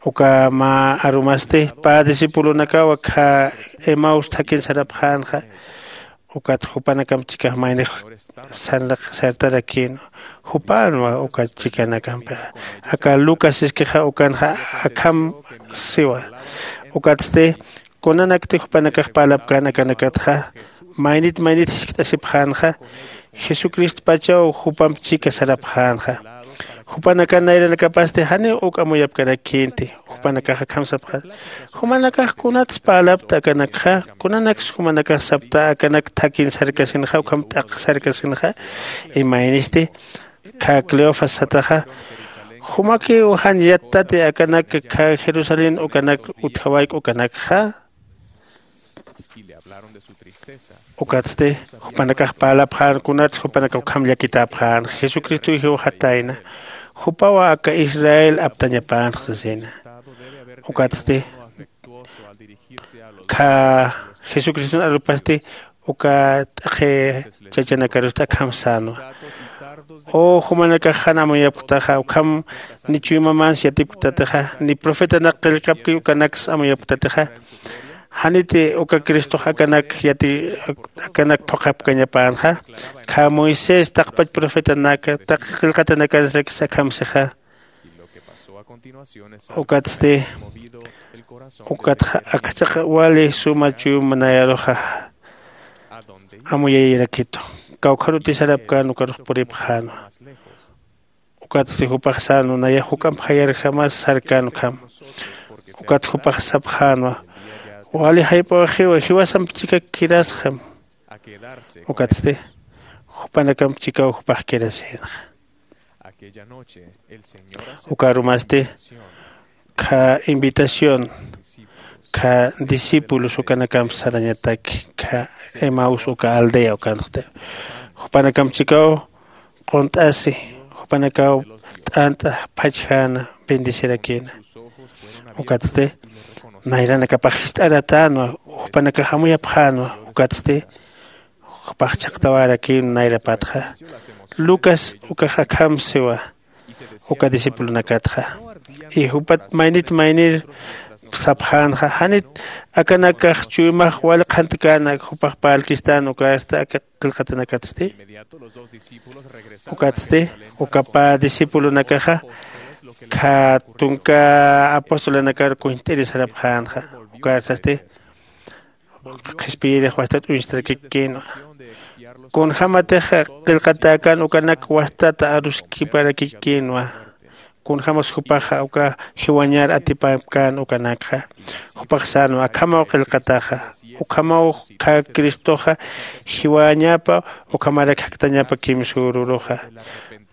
Uka mä arumasti pä discipulonakaw akha emaus thakhin sarapxänxa. Ukat jupanakamp chikax maynix sartarakïn jupänwa uka chikanakampixa. Aka lucas iskixa ukanxa akham siwa. Ukatsti kunanakti jupanakax parlapkän akanakatxa maynit maynit jiskt'asipxänxa. Jesucristopachaw jupamp chika sarapxänxa. Jupanakan nayranakapasti janiw uk amuyapkarakïnti. Jupanakax akham sapxäna, jumanakax kunats parlapta akanakxa? Kunanaks jumanakax sapta akanak thakhin sarkasinxa ukham t'aq sarkasinxa? Imaynisti kha cleofas sataxa, jumakiw jan yattati akanak kha jerusalén ukanak utjawayk ukanakxa? Ukatsti jupanakax parlapxän kunats jupanakax ukham llakitäpxän jesucristow jiwxatayna. Jupaw aka israel aptañapänxa sasina. Ukatsti kha jesucriston arupasti uka t'aqhi chachanakarusti akham sänwa. O jumanakax jan amuyapktaxa ukham ni chuymamans yatipktatixa ni profetanak qillqapki ukanaks amuyapktatixa. Janiti uka cristox akanak yati akanak phuqhapkañapänxa. Kha moisés taqpach profetanaka taqi qillqatanakansrakis akham sixa. Ukatsti ukatxa akchaqa wali suma chuyma nayaruxa amuyayirakitu. Kawkharuti sarapkän ukarux puripxänwa. Ukatsti jupax sänwa nayax juk'amp jayarjamas sarkän ukham. Ukat jupax sapxänwa, wali jayp'awaxiwa jiwasamp chikak kirasxam. Ukatsti jupanakamp chikaw jupax kirasïnxa. Uka arumasti kha invitación kha discípulos ukanakamp sarañataki kha emaus uka aldea ukanxti. Jupanakamp chikaw qunt'asi jupanakaw t'ant'a phachjäna bendecirakïna. Ukatsti nayranakapax jist'aratänwa. Jupanakax amuyapxänwa. Ukatsti jupax chhaqtawärakïn nayrapatxa. Lucas ukax akham siwa uka discipulonakatxa. Y jupat maynit maynir sapxänxa janit akanakax chuymax wali qhantkäna jupax parlkistän ukasti aka qillqatanakatsti. Ukatsti uka pä discipulonakaxa kha tunka apostolanakar kuñt'iri sarapxänxa. Ukarsasti qhispiyirix wastat uñstarakikïnwa. Kunjämatix qillqatäkän ukanak wastata aruskiparakikkïnwa. Kunjämas jupaxa uka jiwañar atipapkän ukanakxa. Jupax sänwa akhamaw qillqataxa. Ukhamaw kha cristoxa jiwañapa ukhamarak jaktañapa kimsüruruxa.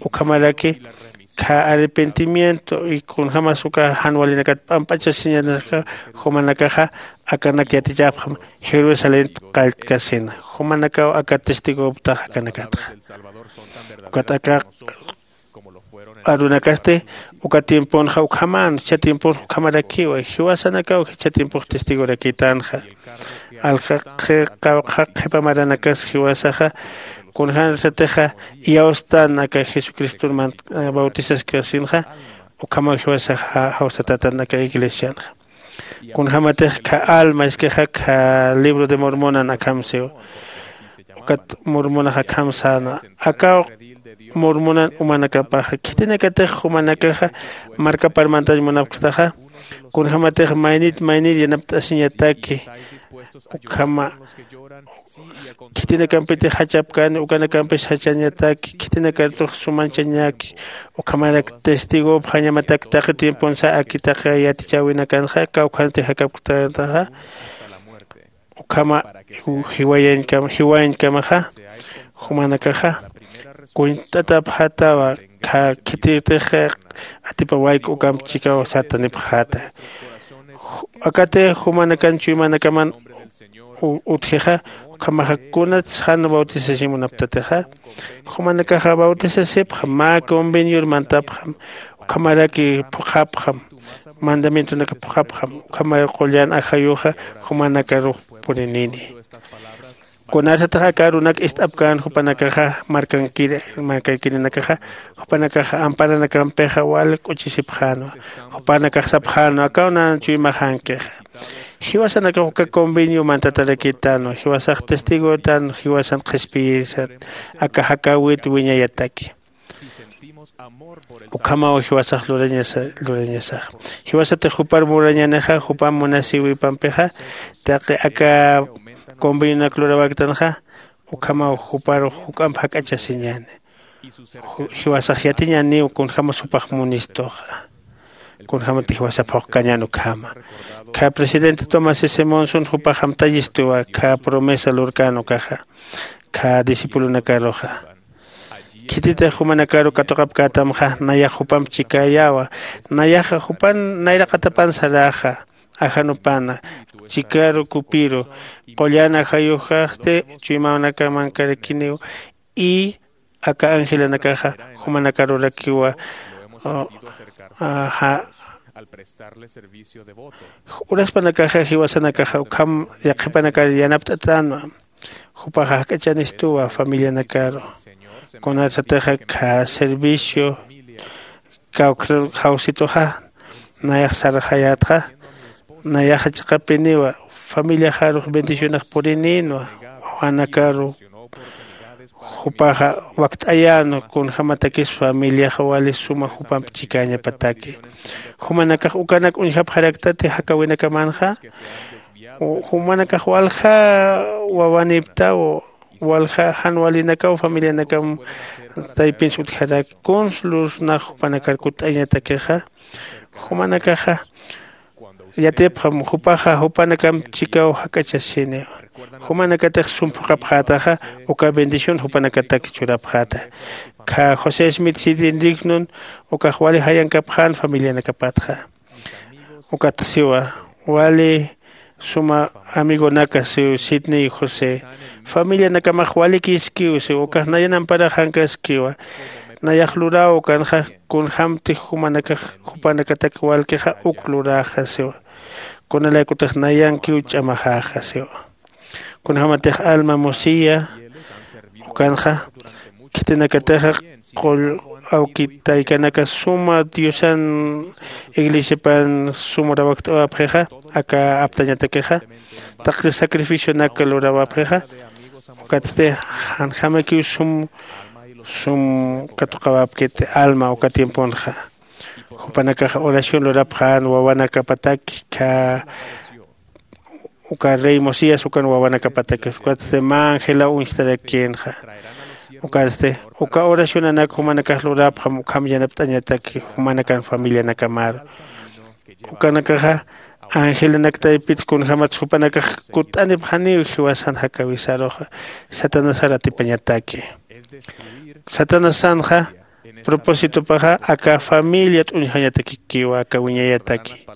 Ukhamaraki kha arrepentimiento y kunjämas uka jan walinakat p'amp'achasiñanaka jumanakaxa akanak yatichapxam jerusalén qalltkasina. Jumanakaw aka testigoptax akanakatxa. Ukat aka arunakasti uka tiemponxa ukhamän jichha tiemponx ukhamarakiwa jiwasanakaw jichha tiempox testigorakïtänxa. Aljaqi qawqha qhipa maranakas jiwasaxa kunjämsatixa iyawstän aka jesucriston bautizaskasinxa. Ukhamaw jiwasaxa jawsatätän aka iglesianxa. Kunjämatix kha alma iskixa kha libro de mormonan akham siwa. Ukat mormonax akham säna akaw mormonan umanakapaxa khitinakatix jumanakaxa markapar mantañ munapktaxa. Kunjämatix maynit maynir yanapt'asiñataki ukhama khitinakampitix jachapkäni ukanakampis jachañataki khitinakartux sumanchañaki. Ukhamarak testigopxañamatak taqi tiemponsa aki taqi yatichäwinakanxa kawkhanti jakapktaxa. Ukhama jiwayañkama jiwayañkamaxa jumanakaxa kuñt'atapxatawa. Khititix atipawayku ukamp chikaw sartanipxata. Akatix jumanakan chuymanakaman utjixa ukhamaxa kunats jan bautisasimunaptatixa jumanakaxa bautisasipxam mä convenior mantapxam. Ukhamaraki phuqhapxam mandamientonaka phuqhapxam ukhamar qullan ajayuxa jumanakarux purinini. Kunarsatix aka arunak ist'apkän jupanakaxa markankirinakaxa jupanakaxa amparanakampixa wal k'uchisipxänwa. Jupanakax sapxänwa akaw nan chuymaxänkixa. Jiwasanakax uka convenio mantatarakitanwa jiwasax testigotanwa jiwasan qhispiyisat aka jakawit wiñayataki. Ukhamaw jiwasax lurañasax jiwasatix jupar murañanixa jupam munasïwipampixa taqi aka convenionak lurawaktanxa ukhamaw juparux juk'amp jak'achasiñäni. Jiwasax yatiñäniw kunjämas jupax munistuxa kunjämatix jiwasap phuqkañän ukhama. Kha presidente tomás s monson jupax amtayistuwa kha promesa lurkän ukaxa kha discipulonakaruxa. Khititix jumanakaru katuqapkätamxa nayax jupamp chikäyäwa. Nayaxa jupan nayraqatapan saräxa ajanupana chikaru kupiru qullan ajayuxasti chuymanakamankarakiniw. Y aka angelanakaxa jumanakarurakiwa. Uraspanakaxa jiwasanakaxa ukham yaqhipanakar yanapt'atänwa. Jupaxa jak'achanistuwa familianakaru kunarsatixa kha servicio kawkr jawsituxa nayax sarxayätxa nayaxa chiqapiniwa familiaxarux bendicionax purinïnwa. Wawanakaru jupaxa wakt'ayänwa kunjämatakis familiaxa wali suma jupamp chikäñapataki. Jumanakax ukanak uñjapxaraktati jakäwinakamanxa jumanakax walja wawanïpktaw walja jan walinakaw familianakam taypinsa utjaraki kuns lursnax jupanakar kutt'ayañatakixa. Jumanakaxa yatipxam jupaxa jupanakamp chikaw jak'achasiniwa. Jumanakatix sum phuqhapxätaxa uka bendición jupanakatak churapxäta. Kha josé smith sidin dignon ukax wali jayankapxän familianakapatxa. Ukat siwa wali suma amigonaka siw sidney josé familianakamax walikïskiw siw ukax nayan amparaxankaskiwa. Nayax luräw ukanxa kunjämtix jumanakax jupanakatak walkixa uk luräxa siwa. Kunalaykutix nayankiw ch'amaxäxa siwa. Kunjämatix alma musiya ukanxa khitinakatixa qull awki taykanaka suma diosan iglesiapan sum urawakt'awapxixa aka aptañatakixa taqi sacrificionak lurawapxixa. Ukatsti janjämakiw sum sum katuqawapkiti alma uka tiemponxa. Jupanakaxa oración lurapxän wawanakapataki kha uka rey mosías ukan wawanakapatakis ukatsti mä angelaw uñstarakïnxa. Ukatsti uka oracionanak jumanakax lurapxam ukham yanapt'añataki jumanakan familianakamaru. Ukanakaxa angelanak taypits kunjämats jupanakax kutt'anipxaniw jiwasan jakäwisaruxa satanasar atipañataki. Satanasanxa propósitopaxa aka familia t'uñjañatakikiwa aka wiñayataki.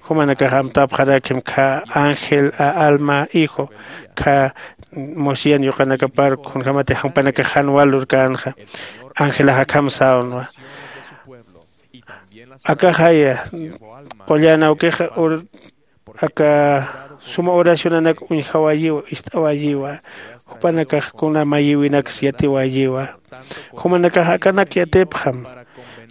Jumanakax amtapxarakim kha ángel a alma hijo kha mosían yuqanakapar kunjämatix jupanakax jan wal lurkänxa. Ángelax akham sawnwa akaxaya qullan awkixa aka suma oracionanak uñjawayiwa ist'awayiwa. Jupanakax kuna mayïwinaks yatiwayiwa. Jumanakax akanak yatipxam.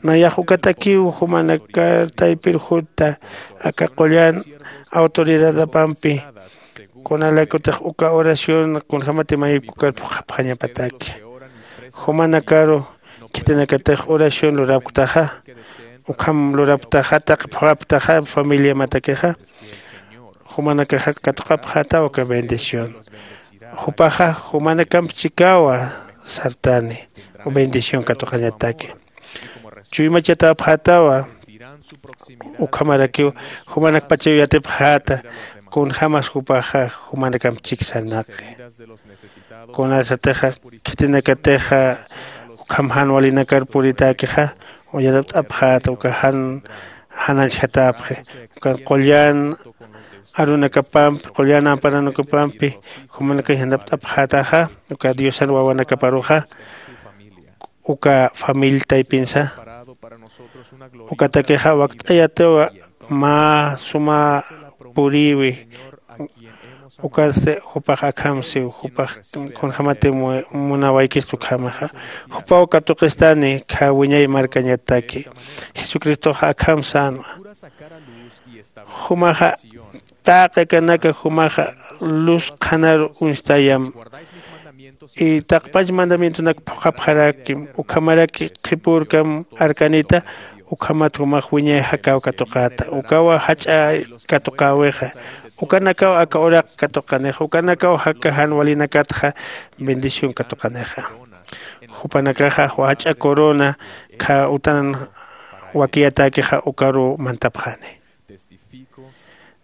Nayax ukatakiw jumanakar taypir jutta aka qullan autoridadapampi kunalaykutix uka oración kunjämati mayïpkukar phuqhapxañapataki. Jumanakaru khitinakatix oración lurapktaxa ukham lurapktaxa taqi phuqhapktaxa familiamatakixa jumanakaxa katuqapxätaw aka bendición. Jupaxa jumanakamp chikawa sartani bendición katuqañataki. Chuymachatäpxätawa ukhamarakiw jumanakpachaw yatipxäta kunjämas jupaxa jumanakamp chiksanaqi. Kunasatixa khitinakatixa ukham jan walinakar puritäkixa yanapt'apxäta uka jan jananchjatäpxi. Ukan qullan arunakapampi qullan amparanakapampi jumanakax yanapt'apxätaxa uka diosan wawanakaparuxa uka familia taypinsa ukatakixa wakt'ayatiwa mä suma purïwi. Ukasti jupax akhamsiw jupax kunjämati munawaykista ukhamaxa jupaw katuqistani khä wiñay markañataki. Jesucristoxa akham sänwa jumaxa taqi akanaka jumaxa luz qhanaru uñstayam. Y taqpach mandamientonak phuqhapxarakim ukhamaraki qhipürkam arkanita. Ukhamat jumax wiñay jakäw katuqäta ukawa jach'a katuqäwixa. Ukanakaw aka uraq katuqanixa ukanakaw jaka jan walinakatxa bendición katuqanixa. Jupanakaxa jach'a corona khä utan wakiyatäkixa ukaruw mantapxani.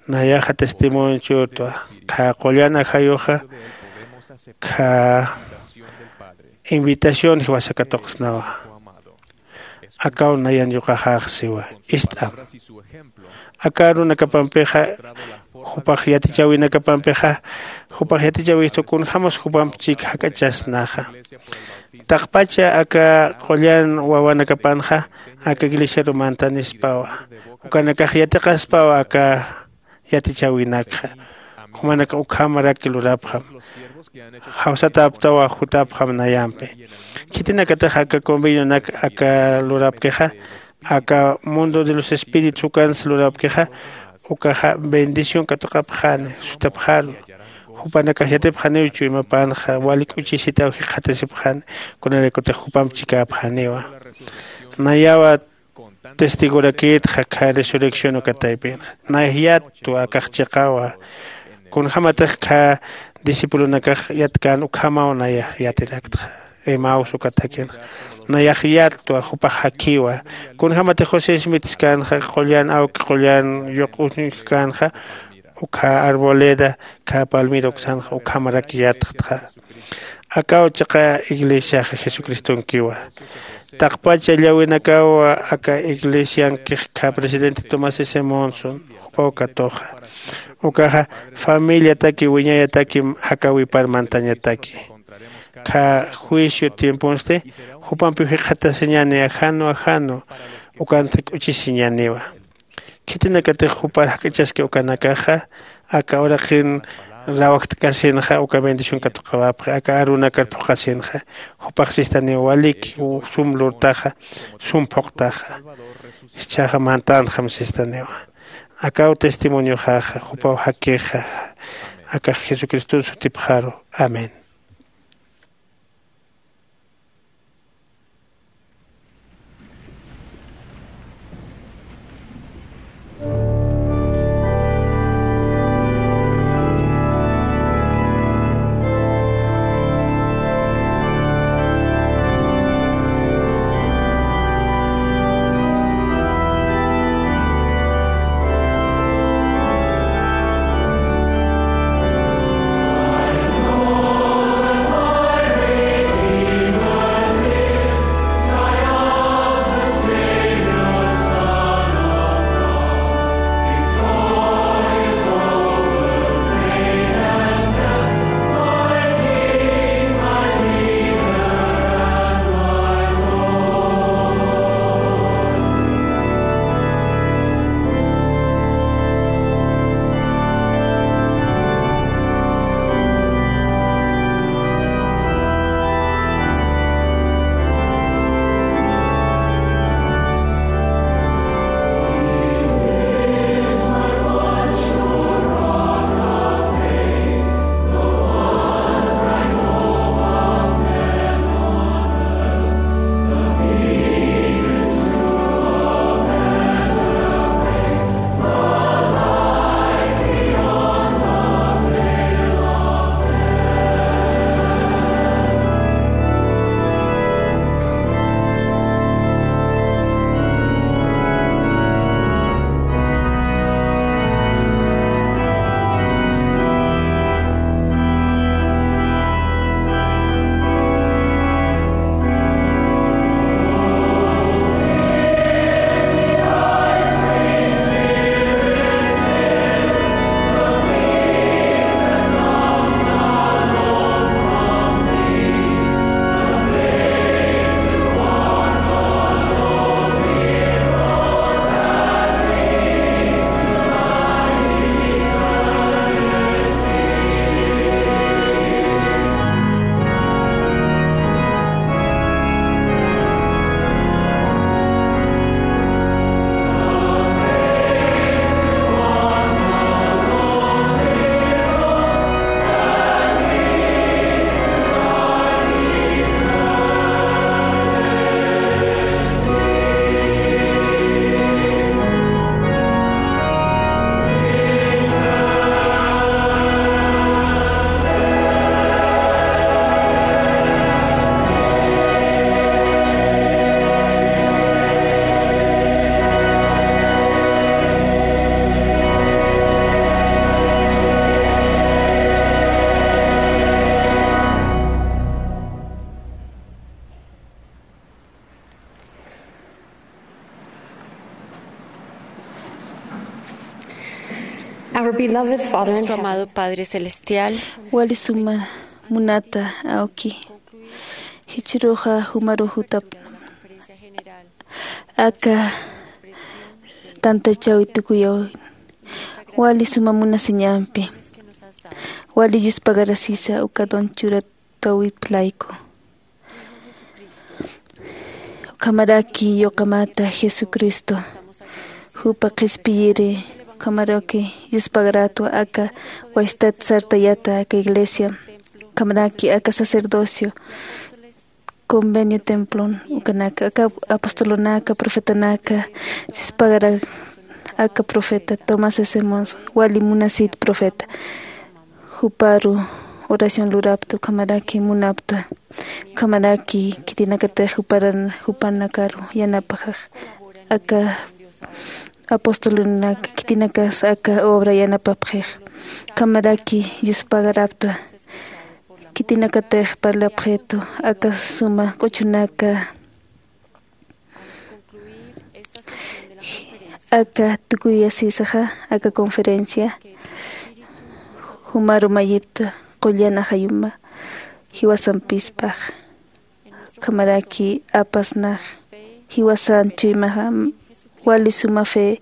Nayaxa testimonio churtwa khä qullan ajayuxa khä invitación jiwasa katuqsnawa. Akaw nayan yuqaxax siwa ist'am aka arunakapampixa jupax yatichäwinakapampixa jupax yatichäwistu kunjämas jupamp chik jak'achasnaxa. Taqpacha aka qullan wawanakapanxa aka iglesiaru mantanispawa ukanakax yatiqaspawa aka yatichäwinakxa. Jumanakax ukhamaraki lurapxam jawsatäptawa jutapxam nayampi. Khitinakatix aka convenionak aka lurapkixa aka mundo de los espíritus ukansa lurapkixa ukaxa bendición katuqapxani sutapxaru. Jupanakax yatipxaniw chuymapanxa wali k'uchisitaw jikxatasipxani kunanaykutix jupamp chikäpxaniwa. Nayawa testigorakïtxa khä resurrección uka taypinxa nayax yatwa akax chiqawa. Kunjämatix khä discipulonakax yatkän ukhamaw nayax yatiraktxa emaus ukatakinxa nayax yatwa jupax jakhiwa. Kunjämatix josé smith skanxa qullan awki qullan yuq uñjkänxa ukkha arboleda khä palmira uksanxa ukhamarak yatxtxa. Akaw chiqa iglesiaxa jesucristonkiwa. Taqpacha llawinakaw aka iglesiankix khä presidente tomás s monson jupaw katuxa ukaxa familiataki wiñayataki jakäwipar mantañataki. Khä juicio tiemponsti jupampiw jikxatasiñäni ajanu ajanu ukansti k'uchisiñäniwa. Khitinakatix jupar jak'ichaski ukanakaxa aka uraqin rawajt'kasinxa uka bendición katuqawapxi aka arunakar phuqhasinxa. Jupax sistaniw waliki sum lurtaxa sum phuqtaxa. Jichhaxa mantänxam sistaniwa. Akaw testimonioxaxa jupaw jakixa akax jesucriston sutipxaru. Amén. Our beloved Father in Nuestro heaven. Amado Padre Celestial. Wali suma munata awki. Jichhüruxa jumaru jutap. Aka tantachäwi tukuyaw. Wali suma munasiñampi. Wali yuspagarasisa uka don churatäwip layku. Ukhamaraki yuqamata Jesucristo, jupa qhispiyiri, ukhamaraki yuspagaratu aka wasitat sartayata aka iglesia, ukhamaraki aka sacerdocio, convenio templon, ukanaka aka apostolonaka, profetanaka, yuspagara aka profeta Thomas S. Monson, wali munasit profeta. Juparu oración lurapta, ukhamaraki munapta, ukhamaraki khitinakatix juparan, jupanakaru yanapaxax, aka apostolunaka khitinakas aka obra yanapapxix, ukhamaraki yuspagarapta, khitinakatix parlapxitu, aka suma q'uchunaka. Aka tukuyasisaxa, aka conferencia, jumaru mayipta qullan ajayuma, jiwasampispax, ukhamaraki apasnax, jiwasan chuymaxa, wali suma fe,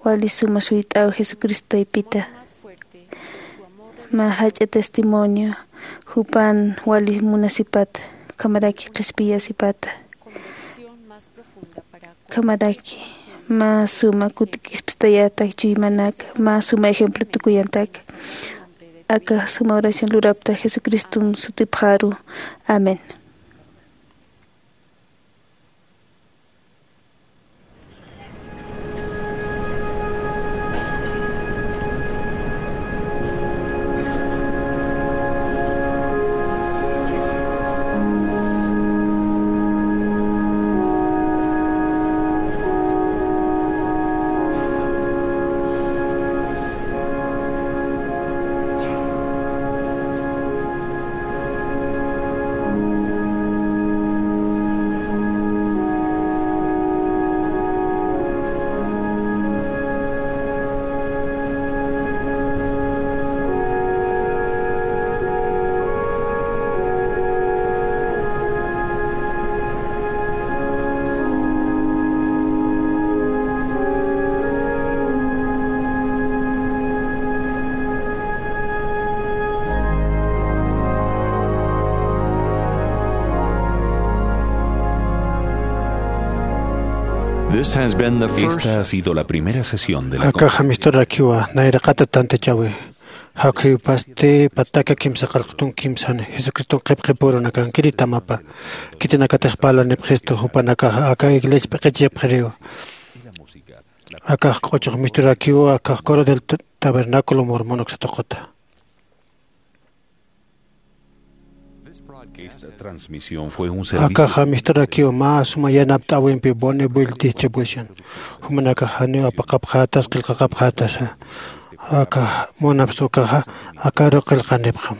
wali suma suyt'aw Jesucristo taypita. Mä jach'a testimonio, jupan wali munasipata, ukhamaraki qhispiyasipata. Ukhamaraki mä suma kutik'ispistayata chuymanaka, mä suma ejemplo tukuyantak. Aka suma oración lurapta Jesucriston sutipxaru. Amén. This has been the first. Esta ha sido la primera sesión de la. Akaxa misturakiwa nayraqata tantachäwi. Jawkhipasti pataka kimsa qallqtun kimsan Jesucriston qhipqipürunakankiritamapa. Khitinakatix parlanipxistu jupanakaxa aka iglesia p'iqichipxiriwa. Akax q'uchux misturakiwa, akax coro del t-, tabernáculo mormón uksa tuquta. Esta transmisión fue un servicio. Akaxa misturakiwa mä suma yanapt'äwimpi Bonneville Distribution. Jumanakax janiw apaqapxätas, qillqaqapxätasa. Aka munapxi ukaxa, akaru qillqanipxam.